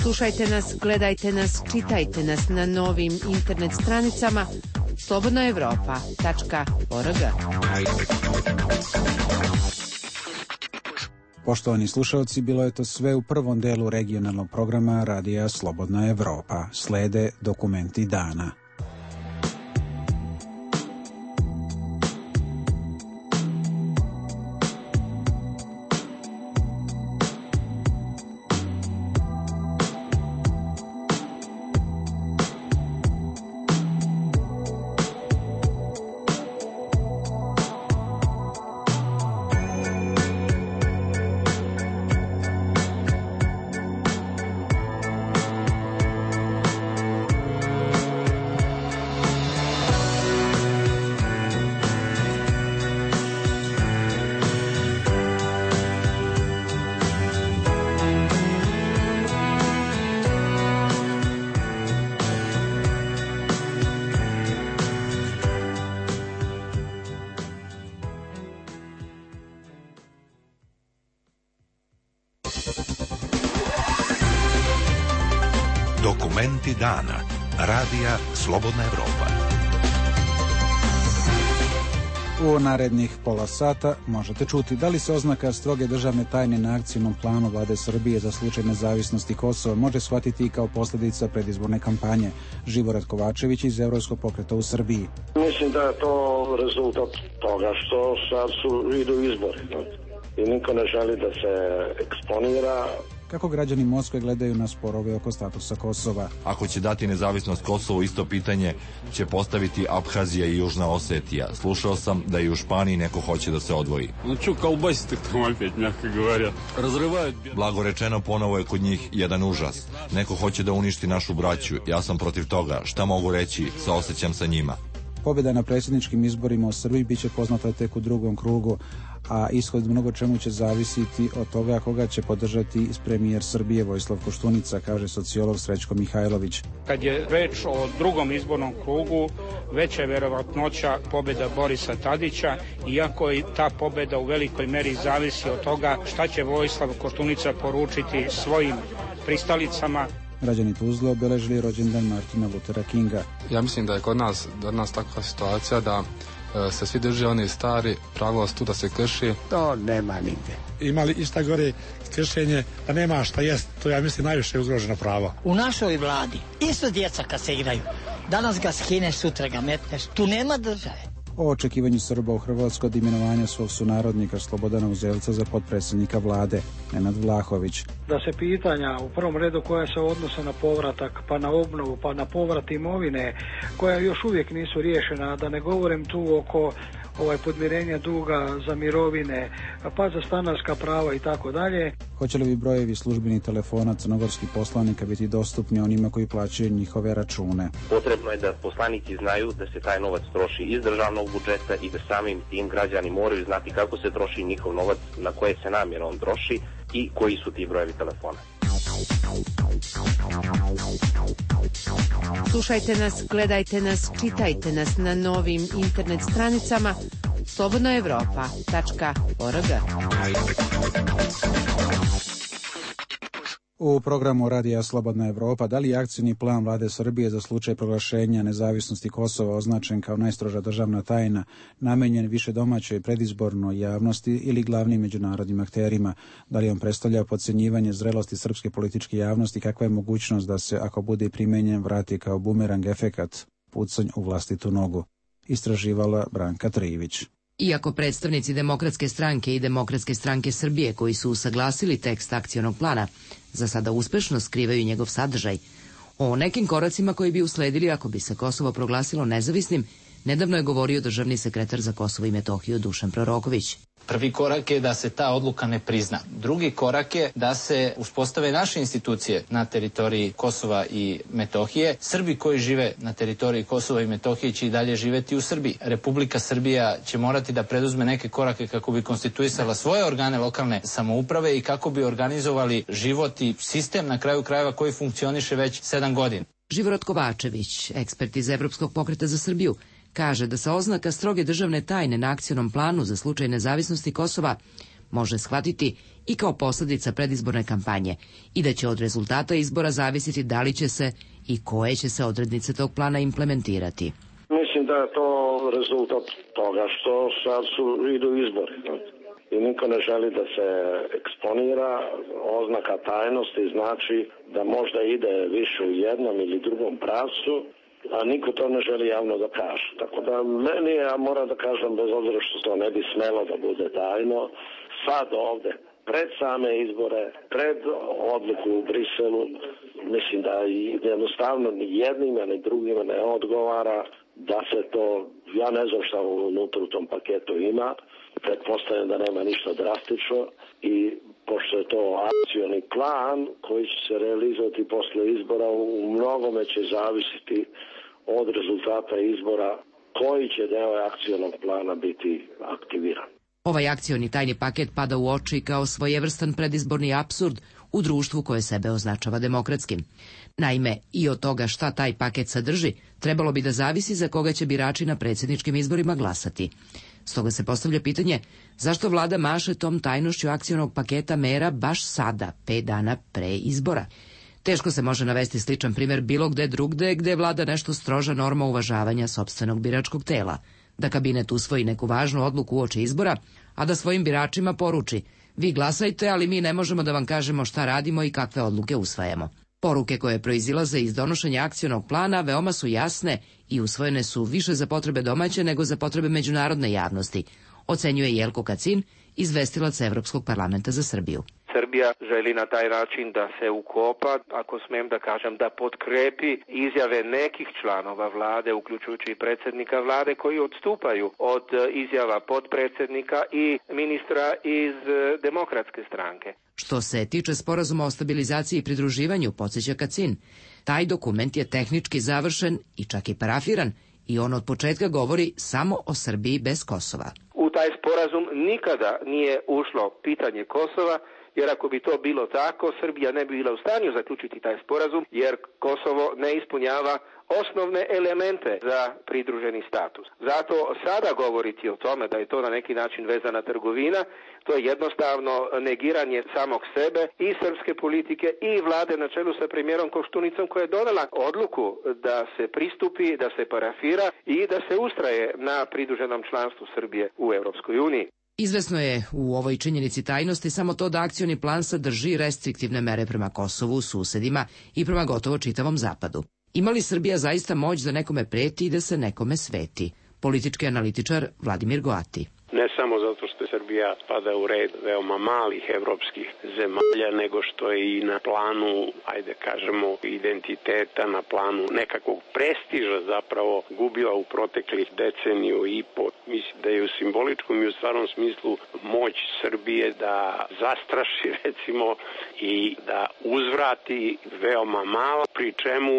Slušajte nas, gledajte nas, čitajte nas na novim internet stranicama slobodnaevropa.org. Poštovani slušalci, bilo je to sve u prvom delu regionalnog programa Radija Slobodna Evropa. Slede dokumenti dana. Dokumenti dana. Radija Slobodna Evropa. U narednih pola sata možete čuti da li se oznaka stroge državne tajne na akcijnom planu vlade Srbije za slučaj nezavisnosti Kosova može shvatiti i kao posljedica predizborne kampanje. Živorad Kovačević iz Evropskog pokreta u Srbiji. Mislim da je to rezultat toga što sad idu izbori i niko ne želi da se eksponira. Kako građani Moskve gledaju na sporove oko statusa Kosova? Ako će dati nezavisnost Kosovu, isto pitanje će postaviti Abhazija i Južna Osetija. Slušao sam da i u Španiji neko hoće da se odvoji. Blago rečeno, ponovo je kod njih jedan užas. Neko hoće da uništi našu braću. Ja sam protiv toga. Šta mogu reći? Saosećam sa njima. Pobjeda na predsjedničkim izborima u Srbiji bit će poznata tek u drugom krugu, a ishod mnogo čemu će zavisiti od toga koga će podržati premijer Srbije Vojislav Koštunica, kaže sociolog Srećko Mihajlović. Kad je reč o drugom izbornom krugu, veća je verovatnoća pobjeda Borisa Tadića, iako i ta pobjeda u velikoj meri zavisi od toga šta će Vojislav Koštunica poručiti svojim pristalicama. Građani Tuzle obeležili rođendan Martina Luthera Kinga. Ja mislim da je kod nas takva situacija da se svi drže oni stari, pravost tu da se krši. To nema nigde. Imali ista gore kršenje, da nema šta jest, to ja mislim najviše ugroženo pravo. U našoj vladi isto djeca kad se igraju, danas ga skineš, sutra ga metneš, tu nema države. O očekivanju Srba u Hrvatskoj od imenovanja svog sunarodnika Slobodana Uzelca za potpredsjednika vlade, Nenad Vlahović. Da se pitanja u prvom redu koja se odnose na povratak, pa na obnovu, pa na povrat imovine, koja još uvijek nisu riješena, da ne govorim tu oko podmirenja duga za mirovine, pa za stanarska prava i tako dalje. Hoće li brojevi službenih telefona crnogorskih poslanika biti dostupni onima koji plaćaju njihove račune? Potrebno je da poslanici znaju da se taj novac troši iz državnog budžeta i da samim tim građani moraju znati kako se troši njihov novac, na koje se namjera on troši i koji su ti brojevi telefona. Slušajte nas, gledajte nas, čitajte nas na novim internet stranicama slobodnaevropa.org. U programu Radija Slobodna Evropa, da li je akcijni plan vlade Srbije za slučaj proglašenja nezavisnosti Kosova označen kao najstroža državna tajna, namenjen više domaćoj predizbornoj javnosti ili glavnim međunarodnim akterima? Da li on predstavlja podcenjivanje zrelosti srpske političke javnosti? Kakva je mogućnost da se, ako bude primenjen, vrati kao bumerang efekat, pucanj u vlastitu nogu? Istraživala Branka Trivić. Iako predstavnici Demokratske stranke i Demokratske stranke Srbije koji su usaglasili tekst akcionog plana, za sada uspešno skrivaju njegov sadržaj, o nekim koracima koji bi usledili ako bi se Kosovo proglasilo nezavisnim, nedavno je govorio državni sekretar za Kosovo i Metohiju Dušan Proroković. Prvi korak je da se ta odluka ne prizna. Drugi korak je da se uspostave naše institucije na teritoriji Kosova i Metohije. Srbi koji žive na teritoriji Kosova i Metohije će i dalje živeti u Srbiji. Republika Srbija će morati da preduzme neke korake kako bi konstituisala svoje organe lokalne samouprave i kako bi organizovali život i sistem na kraju krajeva koji funkcioniše već 7 godina. Živorad Kovačević, ekspert iz Evropskog pokreta za Srbiju, kaže da se oznaka stroge državne tajne na akcionom planu za slučaj nezavisnosti Kosova može shvatiti i kao posljedica predizborne kampanje i da će od rezultata izbora zavisiti da li će se i koje će se odrednice tog plana implementirati. Mislim da je to rezultat toga što sad idu izbori i niko ne želi da se eksponira. Oznaka tajnosti znači da možda ide više u jednom ili drugom pravcu, a niko to ne želi javno da kaže. Tako da meni, ja moram da kažem, bez obzira što to ne bi smelo da bude tajno, sad ovde, pred same izbore, pred odluku u Briselu, mislim da jednostavno ni jednima ni drugima ne odgovara da se to, ja ne znam šta unutra u tom paketu ima, pretpostavljam da nema ništa drastično i pošto je to akcioni plan koji će se realizovati posle izbora, u mnogome će zavisiti od rezultata izbora koji će deo akcionog plana biti aktiviran. Ovaj akcioni tajni paket pada u oči kao svojevrstan predizborni apsurd u društvu koje sebe označava demokratskim. Naime, i od toga šta taj paket sadrži, trebalo bi da zavisi za koga će birači na predsjedničkim izborima glasati. Stoga se postavlja pitanje zašto vlada maše tom tajnošću akcionog paketa mera baš sada, 5 dana pre izbora. Teško se može navesti sličan primjer bilo gde drugde gde vlada nešto stroža norma uvažavanja sopstvenog biračkog tela, da kabinet usvoji neku važnu odluku uoči izbora, a da svojim biračima poruči: vi glasajte, ali mi ne možemo da vam kažemo šta radimo i kakve odluke usvajamo. Poruke koje proizilaze iz donošenja akcionog plana veoma su jasne i usvojene su više za potrebe domaće nego za potrebe međunarodne javnosti, ocenjuje Jelko Kacin, izvestilac Evropskog parlamenta za Srbiju. Srbija želi na taj način da se ukopa, ako smijem da kažem, da potkrepi izjave nekih članova vlade, uključujući i predsjednika vlade, koji odstupaju od izjava podpredsjednika i ministra iz Demokratske stranke. Što se tiče sporazuma o stabilizaciji i pridruživanju, podsjeća Kacin, taj dokument je tehnički završen i čak i parafiran i on od početka govori samo o Srbiji bez Kosova. U taj sporazum nikada nije ušlo pitanje Kosova, jer ako bi to bilo tako, Srbija ne bi bila u stanju zaključiti taj sporazum, jer Kosovo ne ispunjava osnovne elemente za pridruženi status. Zato sada govoriti o tome da je to na neki način vezana trgovina, to je jednostavno negiranje samog sebe i srpske politike i vlade na čelu sa premijerom Koštunicom, koja je donela odluku da se pristupi, da se parafira i da se ustraje na pridruženom članstvu Srbije u Europskoj uniji. Izvesno je u ovoj činjenici tajnosti samo to da akcioni plan sadrži restriktivne mere prema Kosovu, susedima i prema gotovo čitavom zapadu. Ima li Srbija zaista moć da nekome preti i da se nekome sveti? Politički analitičar Vladimir Goati. Ne samo zato što Srbija spada u red veoma malih evropskih zemalja, nego što je i na planu, ajde kažemo, identiteta, na planu nekakvog prestiža zapravo gubila u proteklih deceniju i po. Mislim da je u simboličkom i u stvarnom smislu moć Srbije da zastraši, recimo, i da uzvrati veoma malo, pri čemu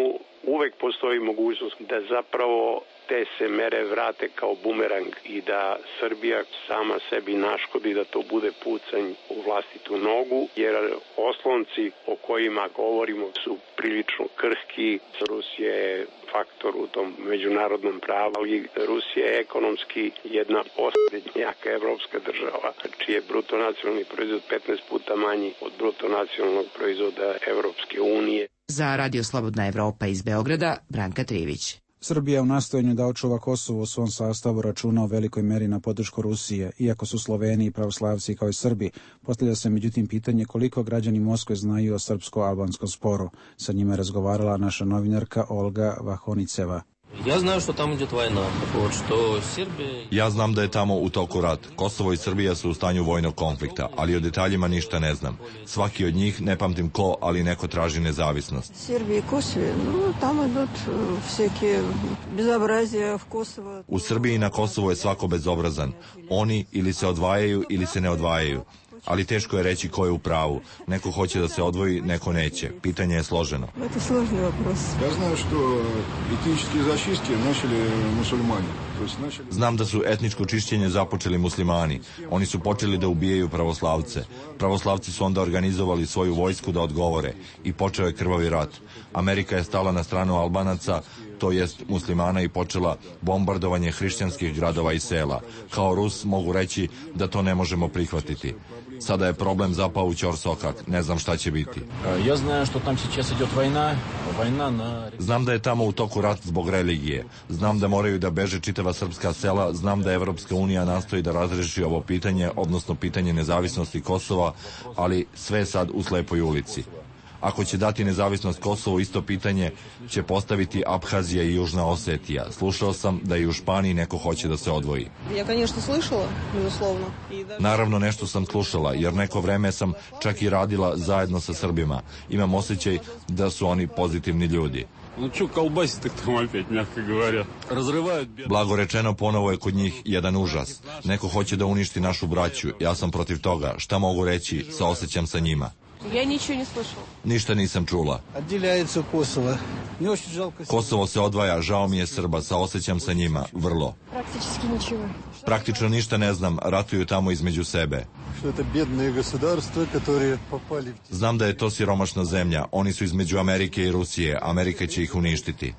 uvek postoji mogućnost da zapravo te se mere vrate kao bumerang i da Srbija sama sebi naškodi, da to bude pucanj u vlastitu nogu, jer oslonci o kojima govorimo su prilično krhki. Rusija je faktor u tom međunarodnom pravu, ali Rusija je ekonomski jedna posljednjaka evropska država, čiji je bruto nacionalni proizvod 15 puta manji od bruto nacionalnog proizvoda Evropske unije. Za Radio Slobodna Evropa iz Beograda, Branka Trivić. Srbija u nastojanju da očuva Kosovo u svom sastavu računa u velikoj meri na podršku Rusije, iako su Sloveni i pravoslavci kao i Srbi. Postavlja se međutim pitanje koliko građani Moskve znaju o srpsko-albanskom sporu. Sa njima je razgovarala naša novinarka Olga Vahoniceva. Ja znam da je tamo u toku rat. Kosovo i Srbija su u stanju vojnog konflikta, ali o detaljima ništa ne znam. Svaki od njih, ne pamtim ko, ali neko traži nezavisnost. U Srbiji i na Kosovu je svako bezobrazan. Oni ili se odvajaju ili se ne odvajaju. Ali teško je reći ko je u pravu. Neko hoće da se odvoji, neko neće. Pitanje je složeno. Znam da su etničko čišćenje započeli muslimani. Oni su počeli da ubijaju pravoslavce. Pravoslavci su onda organizovali svoju vojsku da odgovore i počeo je krvavi rat. Amerika je stala na stranu Albanaca, to jest muslimana, i počela bombardovanje hrišćanskih gradova i sela. Kao Rus mogu reći da to ne možemo prihvatiti. Sada je problem zapao u ćorsokak. Ne znam šta će biti. Znam da je tamo u toku rat zbog religije. Znam da moraju da beže čitava srpska sela. Znam da Evropska unija nastoji da razreši ovo pitanje, odnosno pitanje nezavisnosti Kosova, ali sve sad u slepoj ulici. Ako će dati nezavisnost Kosovu, isto pitanje će postaviti Abhazija i Južna Osetija. Slušao sam da i u Španiji neko hoće da se odvoji. Naravno, nešto sam slušala, jer neko vreme sam čak i radila zajedno sa Srbima. Imam osjećaj da su oni pozitivni ljudi. Blago rečeno, ponovo je kod njih jedan užas. Neko hoće da uništi našu braću. Ja sam protiv toga. Šta mogu reći? Saosećam sa njima. Ništa nisam čula. Kosovo se odvaja, žao mi je Srba, saosećam sa njima, vrlo. Praktično ništa ne znam, ratuju tamo između sebe. Znam da je to siromašna zemlja, oni su između Amerike i Rusije, Amerika će ih uništiti.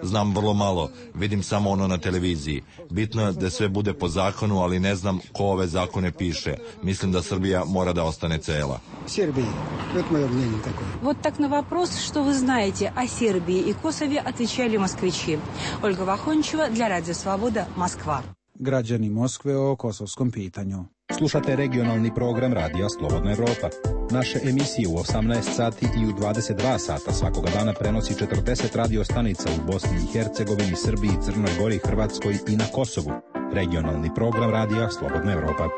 Znam vrlo malo, vidim samo ono na televiziji. Bitno je da sve bude po zakonu, ali ne znam ko ove zakone zakon ne piše. Mislim da Srbija mora da ostane cela. Сербии. Это мое мнение такое. Вот так на вопрос, что вы знаете о Сербии и Косове, отвечали москвичи. Ольга Вахончева для Радио Слобода, Москва. Građani Moskve o kosovskom pitanju. Slušate regionalni program Radija Slobodna Evropa. Naše emisije u 18 sati i u 22 sata svakoga dana prenosi 40 radio stanica u Bosni i Hercegovini, Srbiji, Crnoj Gori, Hrvatskoj i na Kosovu. Regionalni program Radija Slobodna Evropa.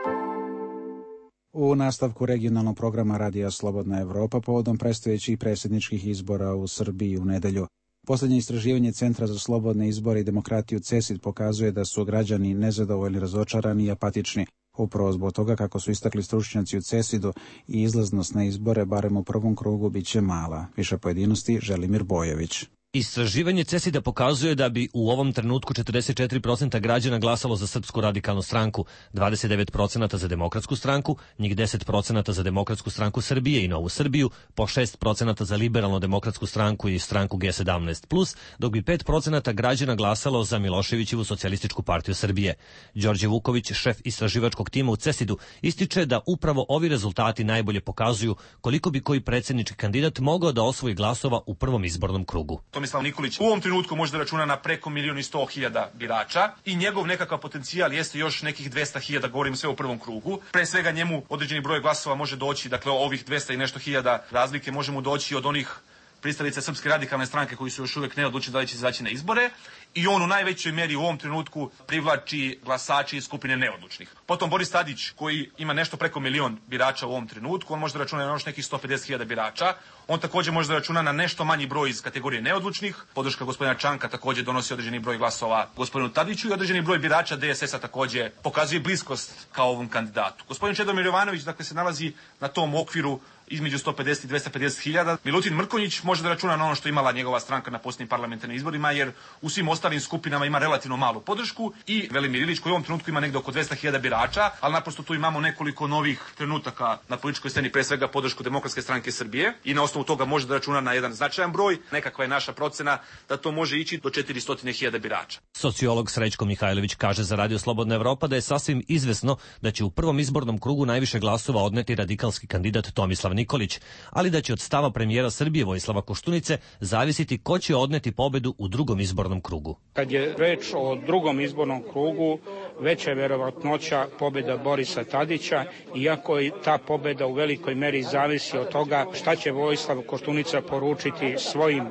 U nastavku regionalnog programa Radija Slobodna Evropa povodom predstojećih predsjedničkih izbora u Srbiji u nedelju. Posljednje istraživanje Centra za slobodne izbore i demokratiju CESID pokazuje da su građani nezadovoljni, razočarani i apatični. Upravo zbog toga, kako su istakli stručnjaci u CESID-u, i izlaznost na izbore, barem u prvom krugu, bit će mala. Više pojedinosti Želimir Bojević. Istraživanje CESID-a pokazuje da bi u ovom trenutku 44% građana glasalo za Srpsku radikalnu stranku, 29% za Demokratsku stranku, njih 10% za Demokratsku stranku Srbije i Novu Srbiju, po 6% za Liberalno-demokratsku stranku i stranku G17+, dok bi 5% građana glasalo za Miloševićevu socijalističku partiju Srbije. Đorđe Vuković, šef istraživačkog tima u CESID-u, ističe da upravo ovi rezultati najbolje pokazuju koliko bi koji predsjednički kandidat mogao da osvoji glasova u prvom izbornom krugu. Tomislav Nikolić u ovom trenutku može da računa na preko 1.100.000 birača i njegov nekakav potencijal jeste još nekih 200.000, govorim sve u prvom krugu. Pre svega njemu određeni broj glasova može doći, dakle ovih 200 i nešto hiljada razlike može mu doći od onih pristalica Srpske radikalne stranke koji su još uvijek neodlučni da li će izaći na izbore, i on u najvećoj meri u ovom trenutku privlači glasači iz skupine neodlučnih. Potom Boris Tadić, koji ima nešto preko 1 milion birača u ovom trenutku, on može da računa na još nekih 150.000 birača. On također može da računa na nešto manji broj iz kategorije neodlučnih. Podrška gospodina Čanka također donosi određeni broj glasova gospodinu Tadiću i određeni broj birača DSS-a također pokazuje bliskost kao ovom kandidatu. Gospodin Čedomir Jovanović, dakle, se nalazi na tom okviru između 150 i 250.000. Milutin Mrkonjić može da računa na ono što imala njegova stranka na posljednjim parlamentarnim izborima, jer u svim ostalim skupinama ima relativno malu podršku, i Velimir Ilić, koji u ovom trenutku ima negdje oko 200.000 birača, ali naprosto tu imamo nekoliko novih trenutaka na političkoj sceni, pre svega podršku Demokratske stranke Srbije, i na osnovu toga može da računa na jedan značajan broj. Nekakva je naša procena da to može ići do 400.000 birača. Sociolog Srećko Mihajlović kaže za Radio Slobodna Evropa da je sasvim izvesno da će u prvom izbornom krugu najviše glasova odneti radikalski kandidat Tomislav Nikolić, ali da će od stava premijera Srbije Vojislava Koštunice zavisiti ko će odneti pobedu u drugom izbornom krugu. Kad je reč o drugom izbornom krugu, veća je verovatnoća pobjeda Borisa Tadića, iako i ta pobjeda u velikoj meri zavisi od toga šta će Vojislav Koštunica poručiti svojim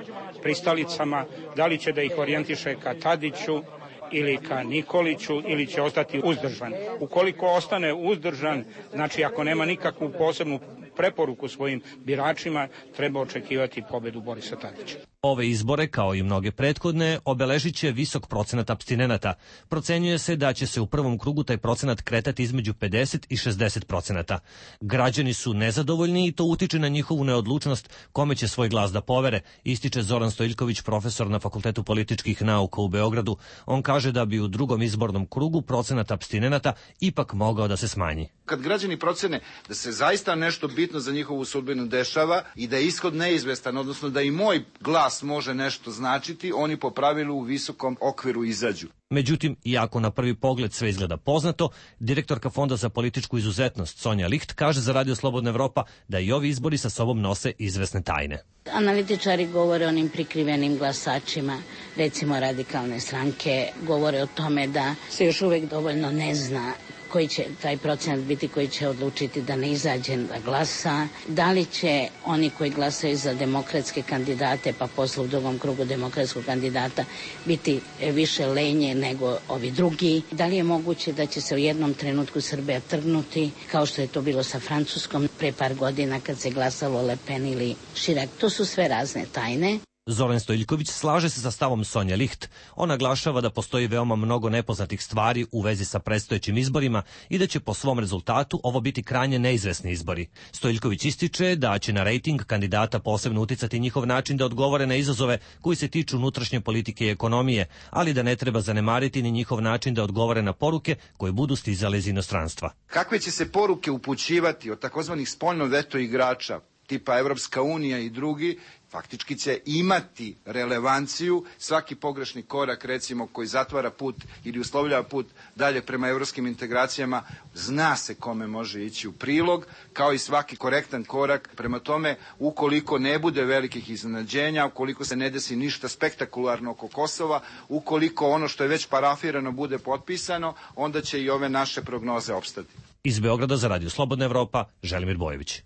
pristalicama, da li će da ih orijentiše ka Tadiću ili ka Nikoliću, ili će ostati uzdržan. Ukoliko ostane uzdržan, znači ako nema nikakvu posebnu preporuku svojim biračima, treba očekivati pobedu Borisa Tadića. Ove izbore, kao i mnoge prethodne, obeležit će visok procenat apstinenata. Procenjuje se da će se u prvom krugu taj procenat kretati između 50 i 60%. Građani su nezadovoljni i to utiče na njihovu neodlučnost kome će svoj glas da povere, ističe Zoran Stojiljković, profesor na Fakultetu političkih nauka u Beogradu. On kaže da bi u drugom izbornom krugu procenat apstinenata ipak mogao da se smanji. Kad građani procene da se zaista nešto bitno za njihovu sudbinu dešava i da je ishod neizvestan, odnosno da i moj glas može nešto značiti, oni po pravilu u visokom okviru izađu. Međutim, iako na prvi pogled sve izgleda poznato, direktorka Fonda za političku izuzetnost Sonja Licht kaže za Radio Slobodna Evropa da i ovi izbori sa sobom nose izvesne tajne. Analitičari govore o onim prikrivenim glasačima, recimo radikalne stranke, govore o tome da se još uvijek dovoljno ne zna koji će taj procenat biti koji će odlučiti da ne izađe da glasa, da li će oni koji glasaju za demokratske kandidate, pa posle u drugom krugu demokratskog kandidata biti više lenje nego ovi drugi, da li je moguće da će se u jednom trenutku Srbija trgnuti, kao što je to bilo sa Francuskom pre par godina kad se glasalo Le Pen ili Chirac. To su sve razne tajne. Zoran Stojiljković slaže se sa stavom Sonja Licht. On naglašava da postoji veoma mnogo nepoznatih stvari u vezi sa predstojećim izborima i da će po svom rezultatu ovo biti krajnje neizvesni izbori. Stojiljković ističe da će na rejting kandidata posebno uticati njihov način da odgovore na izazove koji se tiču unutrašnje politike i ekonomije, ali da ne treba zanemariti ni njihov način da odgovore na poruke koje budu stizale iz inostranstva. Kakve će se poruke upućivati od takozvanih spoljno veto igrača? tipa Evropska unija i drugi, faktički će imati relevanciju. Svaki pogrešni korak, recimo, koji zatvara put ili uslovljava put dalje prema evropskim integracijama, zna se kome može ići u prilog, kao i svaki korektan korak. Prema tome, ukoliko ne bude velikih iznenađenja, ukoliko se ne desi ništa spektakularno oko Kosova, ukoliko ono što je već parafirano bude potpisano, onda će i ove naše prognoze opstati. Iz Beograda za Radio Slobodna Evropa, Želimir Bojević.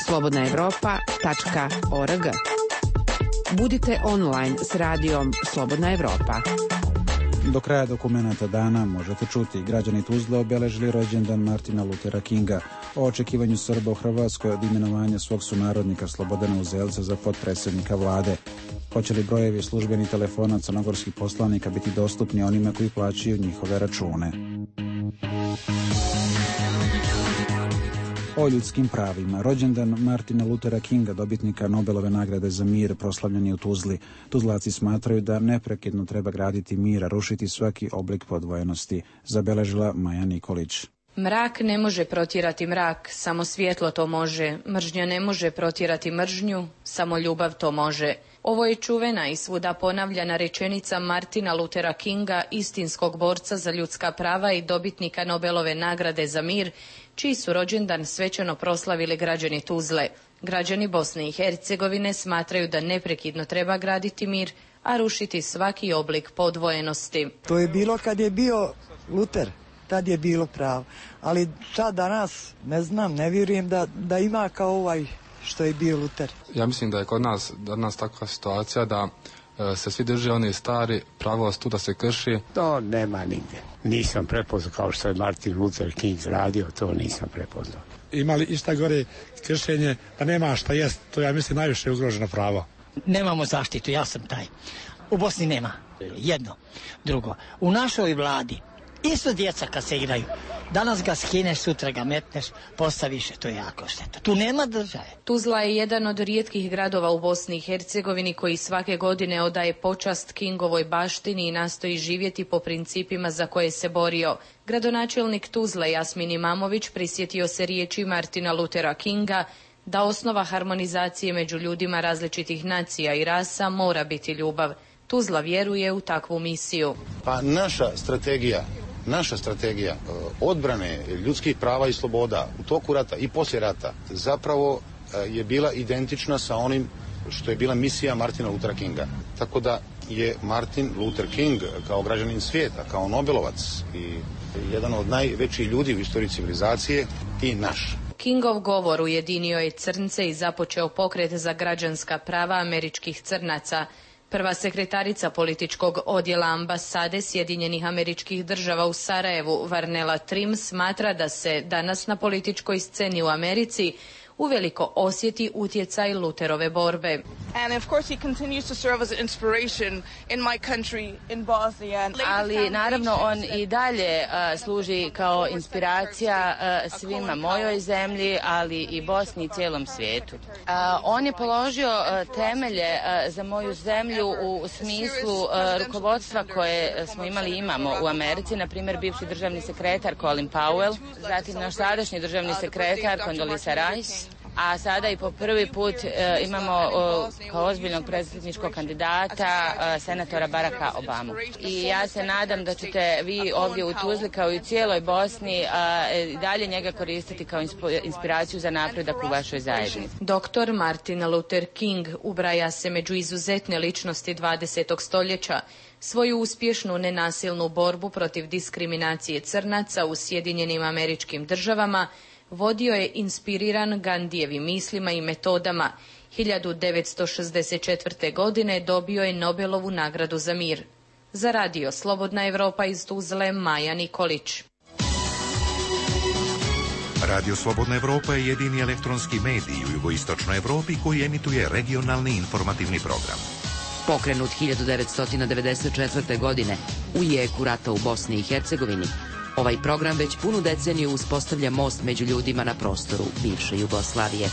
slobodnaevropa.org. Budite online s radijom Slobodna Evropa. Do kraja dokumenta dana možete čuti: građani Tuzle obeležili rođendan Martina Luthera Kinga, o očekivanju Srba u Hrvatskoj od imenovanja svog sunarodnika Slobodana Uzelca za potpredsjednika vlade. Hoće li brojevi službenih telefona crnogorskih poslanika biti dostupni onima koji plaćaju njihove račune? O ljudskim pravima. Rođendan Martina Luthera Kinga, dobitnika Nobelove nagrade za mir, proslavljen je u Tuzli. Tuzlaci smatraju da neprekidno treba graditi mir, a rušiti svaki oblik podvojenosti, zabeležila Maja Nikolić. Mrak ne može protjerati mrak, samo svjetlo to može. Mržnja ne može protjerati mržnju, samo ljubav to može. Ovo je čuvena i svuda ponavljana rečenica Martina Luthera Kinga, istinskog borca za ljudska prava i dobitnika Nobelove nagrade za mir, čiji su rođendan svečano proslavili građani Tuzle. Građani Bosne i Hercegovine smatraju da neprekidno treba graditi mir, a rušiti svaki oblik podvojenosti. To je bilo kad je bio Luther, tad je bilo pravo. Ali sad danas, ne znam, ne vjerujem da ima kao ovaj što je bio Luther. Ja mislim da je kod nas danas takva situacija da se svi drže one stari, pravost tu da se krši. To nema nigdje. Nisam prepoznao kao što je Martin Luther King radio, to nisam prepoznao. Imali išta gore kršenje da nema šta jest, to ja mislim najviše ugroženo pravo. Nemamo zaštitu, ja sam taj. U Bosni nema. Jedno. Drugo, u našoj vladi isto djeca kad se igraju. Danas ga skineš, sutra ga metneš, postaviš, to je jako šteta. Tu nema države. Tuzla je jedan od rijetkih gradova u Bosni i Hercegovini koji svake godine odaje počast Kingovoj baštini i nastoji živjeti po principima za koje se borio. Gradonačelnik Tuzle Jasmin Imamović prisjetio se riječi Martina Luthera Kinga da osnova harmonizacije među ljudima različitih nacija i rasa mora biti ljubav. Tuzla vjeruje u takvu misiju. Pa naša strategija odbrane ljudskih prava i sloboda u toku rata i poslije rata zapravo je bila identična sa onim što je bila misija Martina Luthera Kinga. Tako da je Martin Luther King kao građanin svijeta, kao Nobelovac i jedan od najvećih ljudi u istoriji civilizacije i naš. Kingov govor ujedinio je crnce i započeo pokret za građanska prava američkih crnaca. Prva sekretarica političkog odjela ambasade Sjedinjenih Američkih Država u Sarajevu, Varnela Trim, smatra da se danas na političkoj sceni u Americi uveliko osjeti utjecaj Lutherove borbe. Ali naravno on i dalje služi kao inspiracija svima mojoj zemlji, ali i Bosni i cijelom svijetu. On je položio temelje za moju zemlju u smislu rukovodstva koje smo imali i imamo u Americi, na primjer bivši državni sekretar Colin Powell, zatim naš sadašnji državni sekretar Condoleezza Rice, a sada i po prvi put imamo kao ozbiljnog predsjedničkog kandidata senatora Baracka Obamu. I ja se nadam da ćete vi ovdje u Tuzli kao i u cijeloj Bosni dalje njega koristiti kao inspiraciju za napredak u vašoj zajednici. Dr. Martin Luther King ubraja se među izuzetne ličnosti 20. stoljeća. Svoju uspješnu nenasilnu borbu protiv diskriminacije crnaca u Sjedinjenim Američkim Državama vodio je inspiriran Gandijevim mislima i metodama. 1964. godine dobio je Nobelovu nagradu za mir. Za radio Slobodna Evropa iz Tuzle, Maja Nikolić. Radio Slobodna Evropa je jedini elektronski medij u jugoistočnoj Evropi koji emituje regionalni informativni program. Pokrenut 1994. godine u jeku rata u Bosni i Hercegovini, ovaj program već punu deceniju uspostavlja most među ljudima na prostoru bivše Jugoslavije.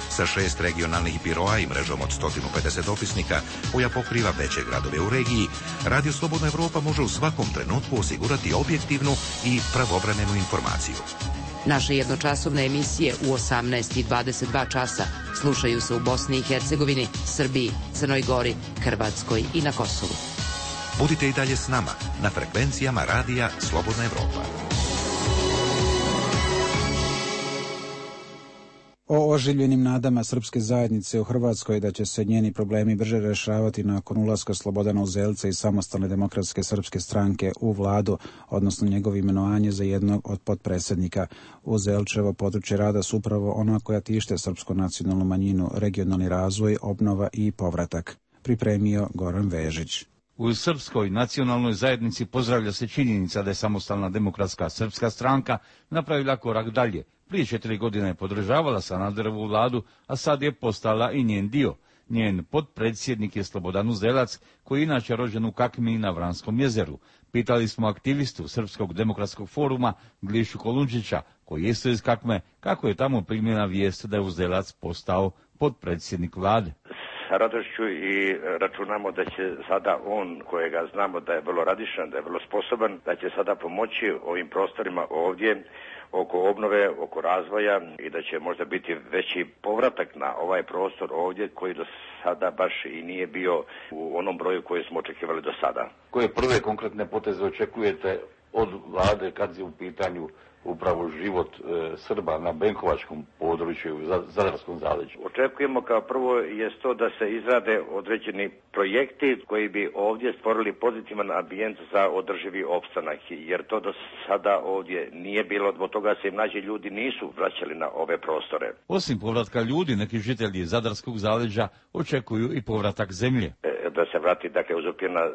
Sa 6 regionalnih biroa i mrežom od 150 dopisnika koja pokriva veće gradove u regiji, Radio Slobodna Evropa može u svakom trenutku osigurati objektivnu i pravovremenu informaciju. Naše jednočasovne emisije u 18 i 22 časa slušaju se u Bosni i Hercegovini, Srbiji, Crnoj Gori, Hrvatskoj i na Kosovu. Budite i dalje s nama na frekvencijama radija Slobodna Evropa. O oživljenim nadama srpske zajednice u Hrvatskoj da će se njeni problemi brže rešavati nakon ulaska Slobodana Uzelca i Samostalne demokratske srpske stranke u vladu, odnosno njegovo imenovanje za jednog od potpredsjednika. Uzelčevo područje rada su upravo ona koja tište srpsku nacionalnu manjinu, regionalni razvoj, obnova i povratak. Pripremio Goran Vežić. U Srpskoj nacionalnoj zajednici pozdravlja se činjenica da je Samostalna demokratska srpska stranka napravila korak dalje. Prije 4 godine je podržavala Sanaderovu vladu, a sad je postala i njen dio. Njen potpredsjednik je Slobodan Uzelac, koji je inače rođen u Kakmi na Vranskom jezeru. Pitali smo aktivistu Srpskog demokratskog foruma Glišu Kolundžića, koji je isto iz Kakme, kako je tamo primljena vijest da je Uzelac postao potpredsjednik vlade. Sa radošću i računamo da će sada on, kojega znamo da je vrlo radišan, da je vrlo sposoban, da će sada pomoći ovim prostorima ovdje oko obnove, oko razvoja i da će možda biti veći povratak na ovaj prostor ovdje koji do sada baš i nije bio u onom broju koji smo očekivali do sada. Koje prve konkretne poteze očekujete od vlade kad je u pitanju upravo život Srba na benkovačkom području, u Zadarskom zaleđu? Očekujemo kao prvo je to da se izrade određeni projekti koji bi ovdje stvorili pozitivan ambijent za održivi opstanak, jer to do sada ovdje nije bilo, zbog toga se mlađi ljudi nisu vraćali na ove prostore. Osim povratka ljudi, neki žitelji Zadarskog zaleđa očekuju i povratak zemlje. Da se vrati, dakle, uzurpirana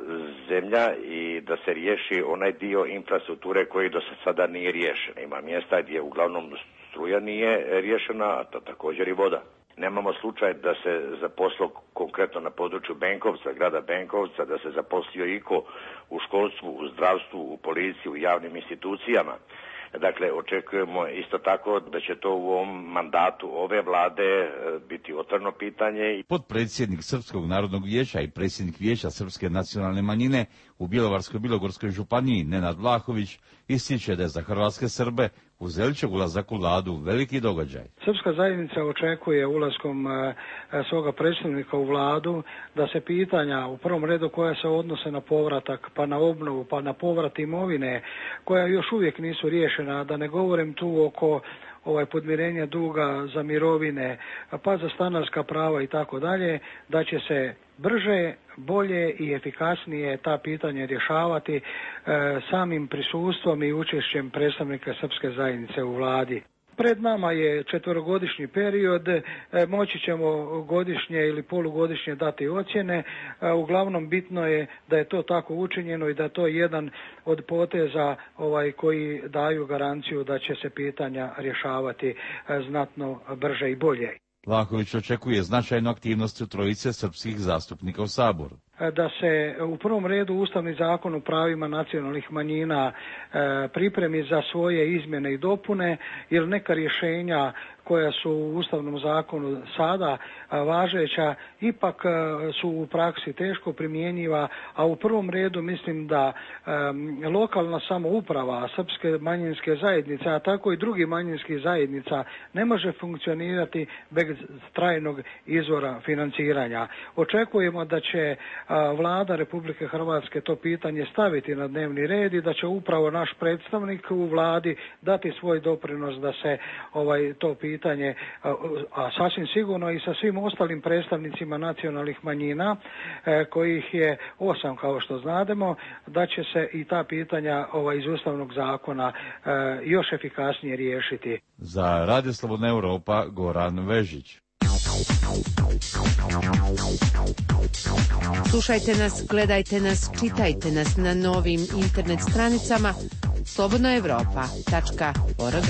zemlja i da se riješi onaj dio infrastrukture koji do sada nije riješen. Ima mjesta gdje uglavnom struja nije riješena, a to također i voda. Nemamo slučaj da se zaposlio konkretno na području Benkovca, grada Benkovca, da se zaposlio iko u školstvu, u zdravstvu, u policiji, u javnim institucijama. Dakle, očekujemo isto tako da će to u ovom mandatu ove vlade biti otvoreno pitanje. Potpredsjednik Srpskog narodnog vijeća i predsjednik vijeća Srpske nacionalne manjine u Bjelovarsko-bilogorskoj županiji Nenad Vlahović ističe da je za hrvatske Srbe Uzelčev ulazak u vladu veliki događaj. Srpska zajednica očekuje ulaskom svoga predstavnika u vladu da se pitanja u prvom redu koja se odnose na povratak, pa na obnovu, pa na povrat imovine, koja još uvijek nisu riješena, da ne govorim tu oko podmirenja duga za mirovine, pa za stanarska prava i tako dalje, da će se brže, bolje i efikasnije ta pitanja rješavati samim prisustvom i učešćem predstavnika Srpske zajednice u vladi. Pred nama je 4-godišnji period, moći ćemo godišnje ili polugodišnje dati ocjene. Uglavnom bitno je da je to tako učinjeno i da je to jedan od poteza koji daju garanciju da će se pitanja rješavati znatno brže i bolje. Vlahović očekuje značajnu aktivnost trojice srpskih zastupnika u Saboru. Da se u prvom redu Ustavni zakon o pravima nacionalnih manjina pripremi za svoje izmjene i dopune, jer neka rješenja koja su u Ustavnom zakonu sada važeća ipak su u praksi teško primjenjiva, a u prvom redu mislim da lokalna samouprava srpske manjinske zajednice, a tako i drugih manjinskih zajednica ne može funkcionirati bez trajnog izvora financiranja. Očekujemo da će Vlada Republike Hrvatske to pitanje staviti na dnevni red i da će upravo naš predstavnik u vladi dati svoj doprinos da se to pitanje, a sasvim sigurno i sa svim ostalim predstavnicima nacionalnih manjina, kojih je 8 kao što znademo, da će se i ta pitanja iz Ustavnog zakona još efikasnije riješiti. Za Radio Slobodna Evropa, Goran Vežić. Slušajte nas, gledajte nas, čitajte nas na novim internet stranicama slobodnaevropa.org.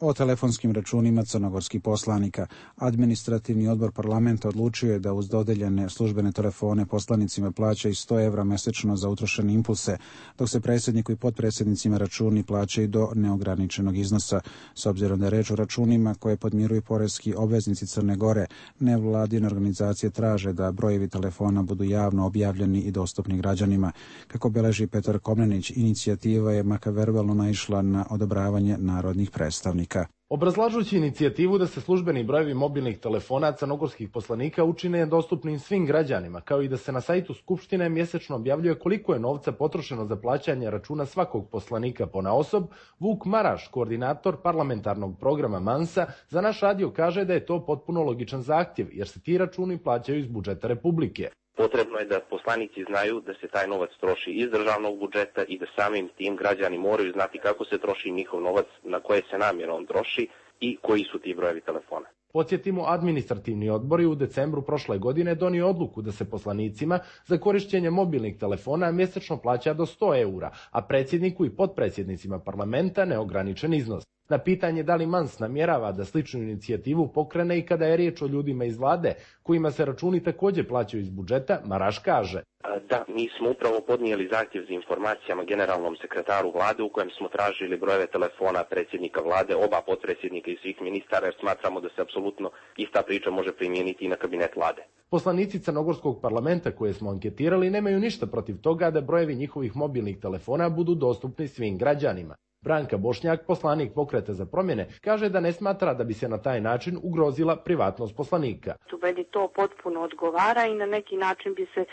O telefonskim računima crnogorskih poslanika. Administrativni odbor parlamenta odlučio je da uz dodeljene službene telefone poslanicima plaća i 100 evra mesečno za utrošene impulse, dok se predsjedniku i potpredsjednicima računi plaćaju do neograničenog iznosa. S obzirom da je reč o računima koje podmiruju poreski obveznici Crne Gore, nevladine organizacije traže da brojevi telefona budu javno objavljeni i dostupni građanima. Kako beleži Petar Komnenić, inicijativa je makar verbalno naišla na odobravanje narodnih predstavnika. Obrazlažući inicijativu da se službeni brojevi mobilnih telefona crnogorskih poslanika učine dostupnim svim građanima, kao i da se na sajtu Skupštine mjesečno objavljuje koliko je novca potrošeno za plaćanje računa svakog poslanika ponaosob, Vuk Maraš, koordinator parlamentarnog programa Mansa, za naš radio kaže da je to potpuno logičan zahtjev, jer se ti računi plaćaju iz budžeta Republike. Potrebno je da poslanici znaju da se taj novac troši iz državnog budžeta i da samim tim građani moraju znati kako se troši njihov novac, na koje se namjerno on troši i koji su ti brojevi telefona. Podsjetimo, administrativni odbor je u decembru prošle godine donio odluku da se poslanicima za korišćenje mobilnih telefona mjesečno plaća do 100 eura, a predsjedniku i potpredsjednicima parlamenta neograničen iznos. Na pitanje da li Mans namjerava da sličnu inicijativu pokrene i kada je riječ o ljudima iz vlade, kojima se računi također plaćaju iz budžeta, Maraš kaže: Da, mi smo upravo podnijeli zahtjev za informacijama generalnom sekretaru vlade u kojem smo tražili brojeve telefona predsjednika vlade, oba potpredsjednika i svih ministara, jer smatramo da se apsolutno ista priča može primijeniti i na kabinet vlade. Poslanici crnogorskog parlamenta koje smo anketirali nemaju ništa protiv toga da brojevi njihovih mobilnih telefona budu dostupni svim građanima. Branka Bošnjak, poslanik Pokreta za promjene, kaže da ne smatra da bi se na taj način ugrozila privatnost poslanika. Meni to potpuno odgovara i na neki način bi se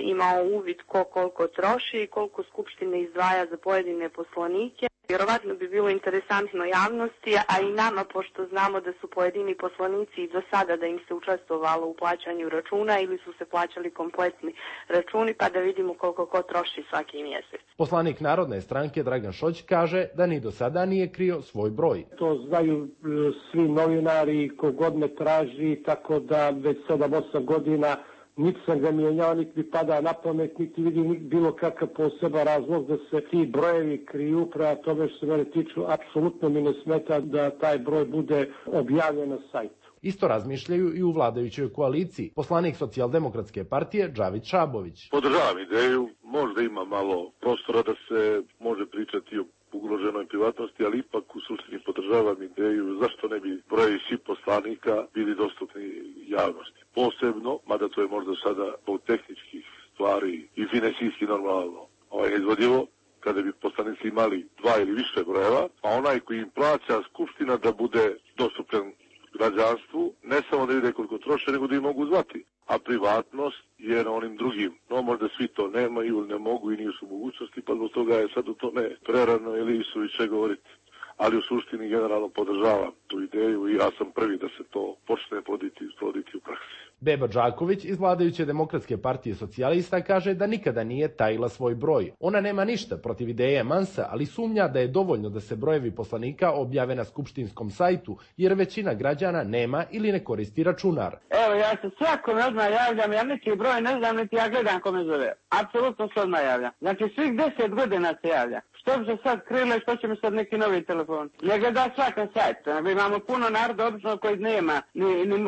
imao uvid ko koliko troši i koliko Skupštine izdvaja za pojedine poslanike. Vjerovatno bi bilo interesantno javnosti, a i nama, pošto znamo da su pojedini poslanici i do sada da im se učestvovalo u plaćanju računa ili su se plaćali kompletni računi, pa da vidimo koliko ko troši svaki mjesec. Poslanik Narodne stranke Dragan Šoć kaže da ni do sada nije krio svoj broj. To znaju svi novinari, kogod me traži, tako da već 7-8 godina niti sam ga mijenjao, niti mi pada na pamet, niti vidim bilo kakav poseban razlog da se ti brojevi kriju. Prema tome što se mene tiču, apsolutno mi ne smeta da taj broj bude objavljen na sajtu. Isto razmišljaju i u vladajućoj koaliciji. Poslanik Socijaldemokratske partije Džavid Šabović. Podržavam ideju, možda ima malo prostora da se može pričati o ugroženoj privatnosti, ali ipak u suštini podržavam ideju zašto ne bi brojevi svih poslanika bili dostupni javnosti. Posebno, mada to je možda sada po tehničkih stvari i finansijski normalno izvodivo, kada bi poslanici imali 2 ili više brojeva, a onaj koji im plaća Skupština da bude dostupan građanstvu, ne samo da vide koliko troše, nego da ih mogu zvati. A privatnost je na onim drugim. No, možda svi to nemaju ili ne mogu i nisu mogućnosti, pa zbog toga je sad u tome prerano ili suviše govoriti. Ali u suštini generalno podržavam tu ideju i ja sam prvi da se to počne proditi u praksi. Beba Đaković iz vladajuće Demokratske partije socijalista kaže da nikada nije tajila svoj broj. Ona nema ništa protiv ideje Mansa, ali sumnja da je dovoljno da se brojevi poslanika objave na skupštinskom sajtu, jer većina građana nema ili ne koristi računar. Evo, ja se svakome odmah javljam, ja neki broj ne znam, niti ja gledam kome zove. Apsolutno se odmah javljam. Znači svih 10 godina se javlja. Što bi se sad krilo i što će mi sad neki novi telefon? Ne gleda svakan sajt. Imamo puno naroda obično koji nema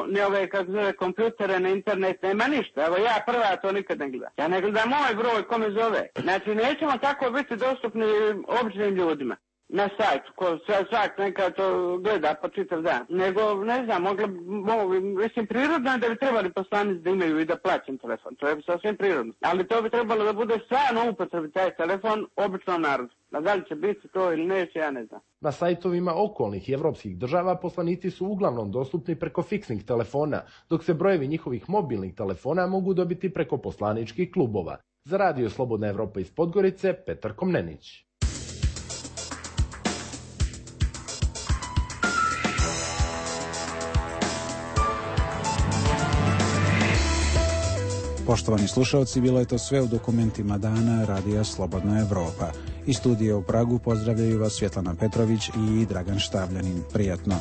ni ove, kako zove, kompjutere, ni internet, nema ništa. Evo ja prva to nikad ne gledam. Ja ne gledam moj broj kome zove. Znači nećemo tako biti dostupni običnim ljudima na sajtu, ko svak neka to gleda po čitav dan. Nego, ne znam, mislim, prirodno je da bi trebali poslanici da imaju i da plaćam telefon. To je sasvim prirodno. Ali to bi trebalo da bude stvarno upotrebi taj telefon običnom narodu. A da li će biti to ili neće, ja ne znam. Na sajtovima okolnih i evropskih država poslanici su uglavnom dostupni preko fiksnih telefona, dok se brojevi njihovih mobilnih telefona mogu dobiti preko poslaničkih klubova. Za Radio Slobodna Evropa iz Podgorice, Petar Komnenić. Poštovani slušalci, bilo je to sve u dokumentima dana Radija Slobodna Evropa. Iz studija u Pragu pozdravljaju vas Svjetlana Petrović i Dragan Štavljanin. Prijatno.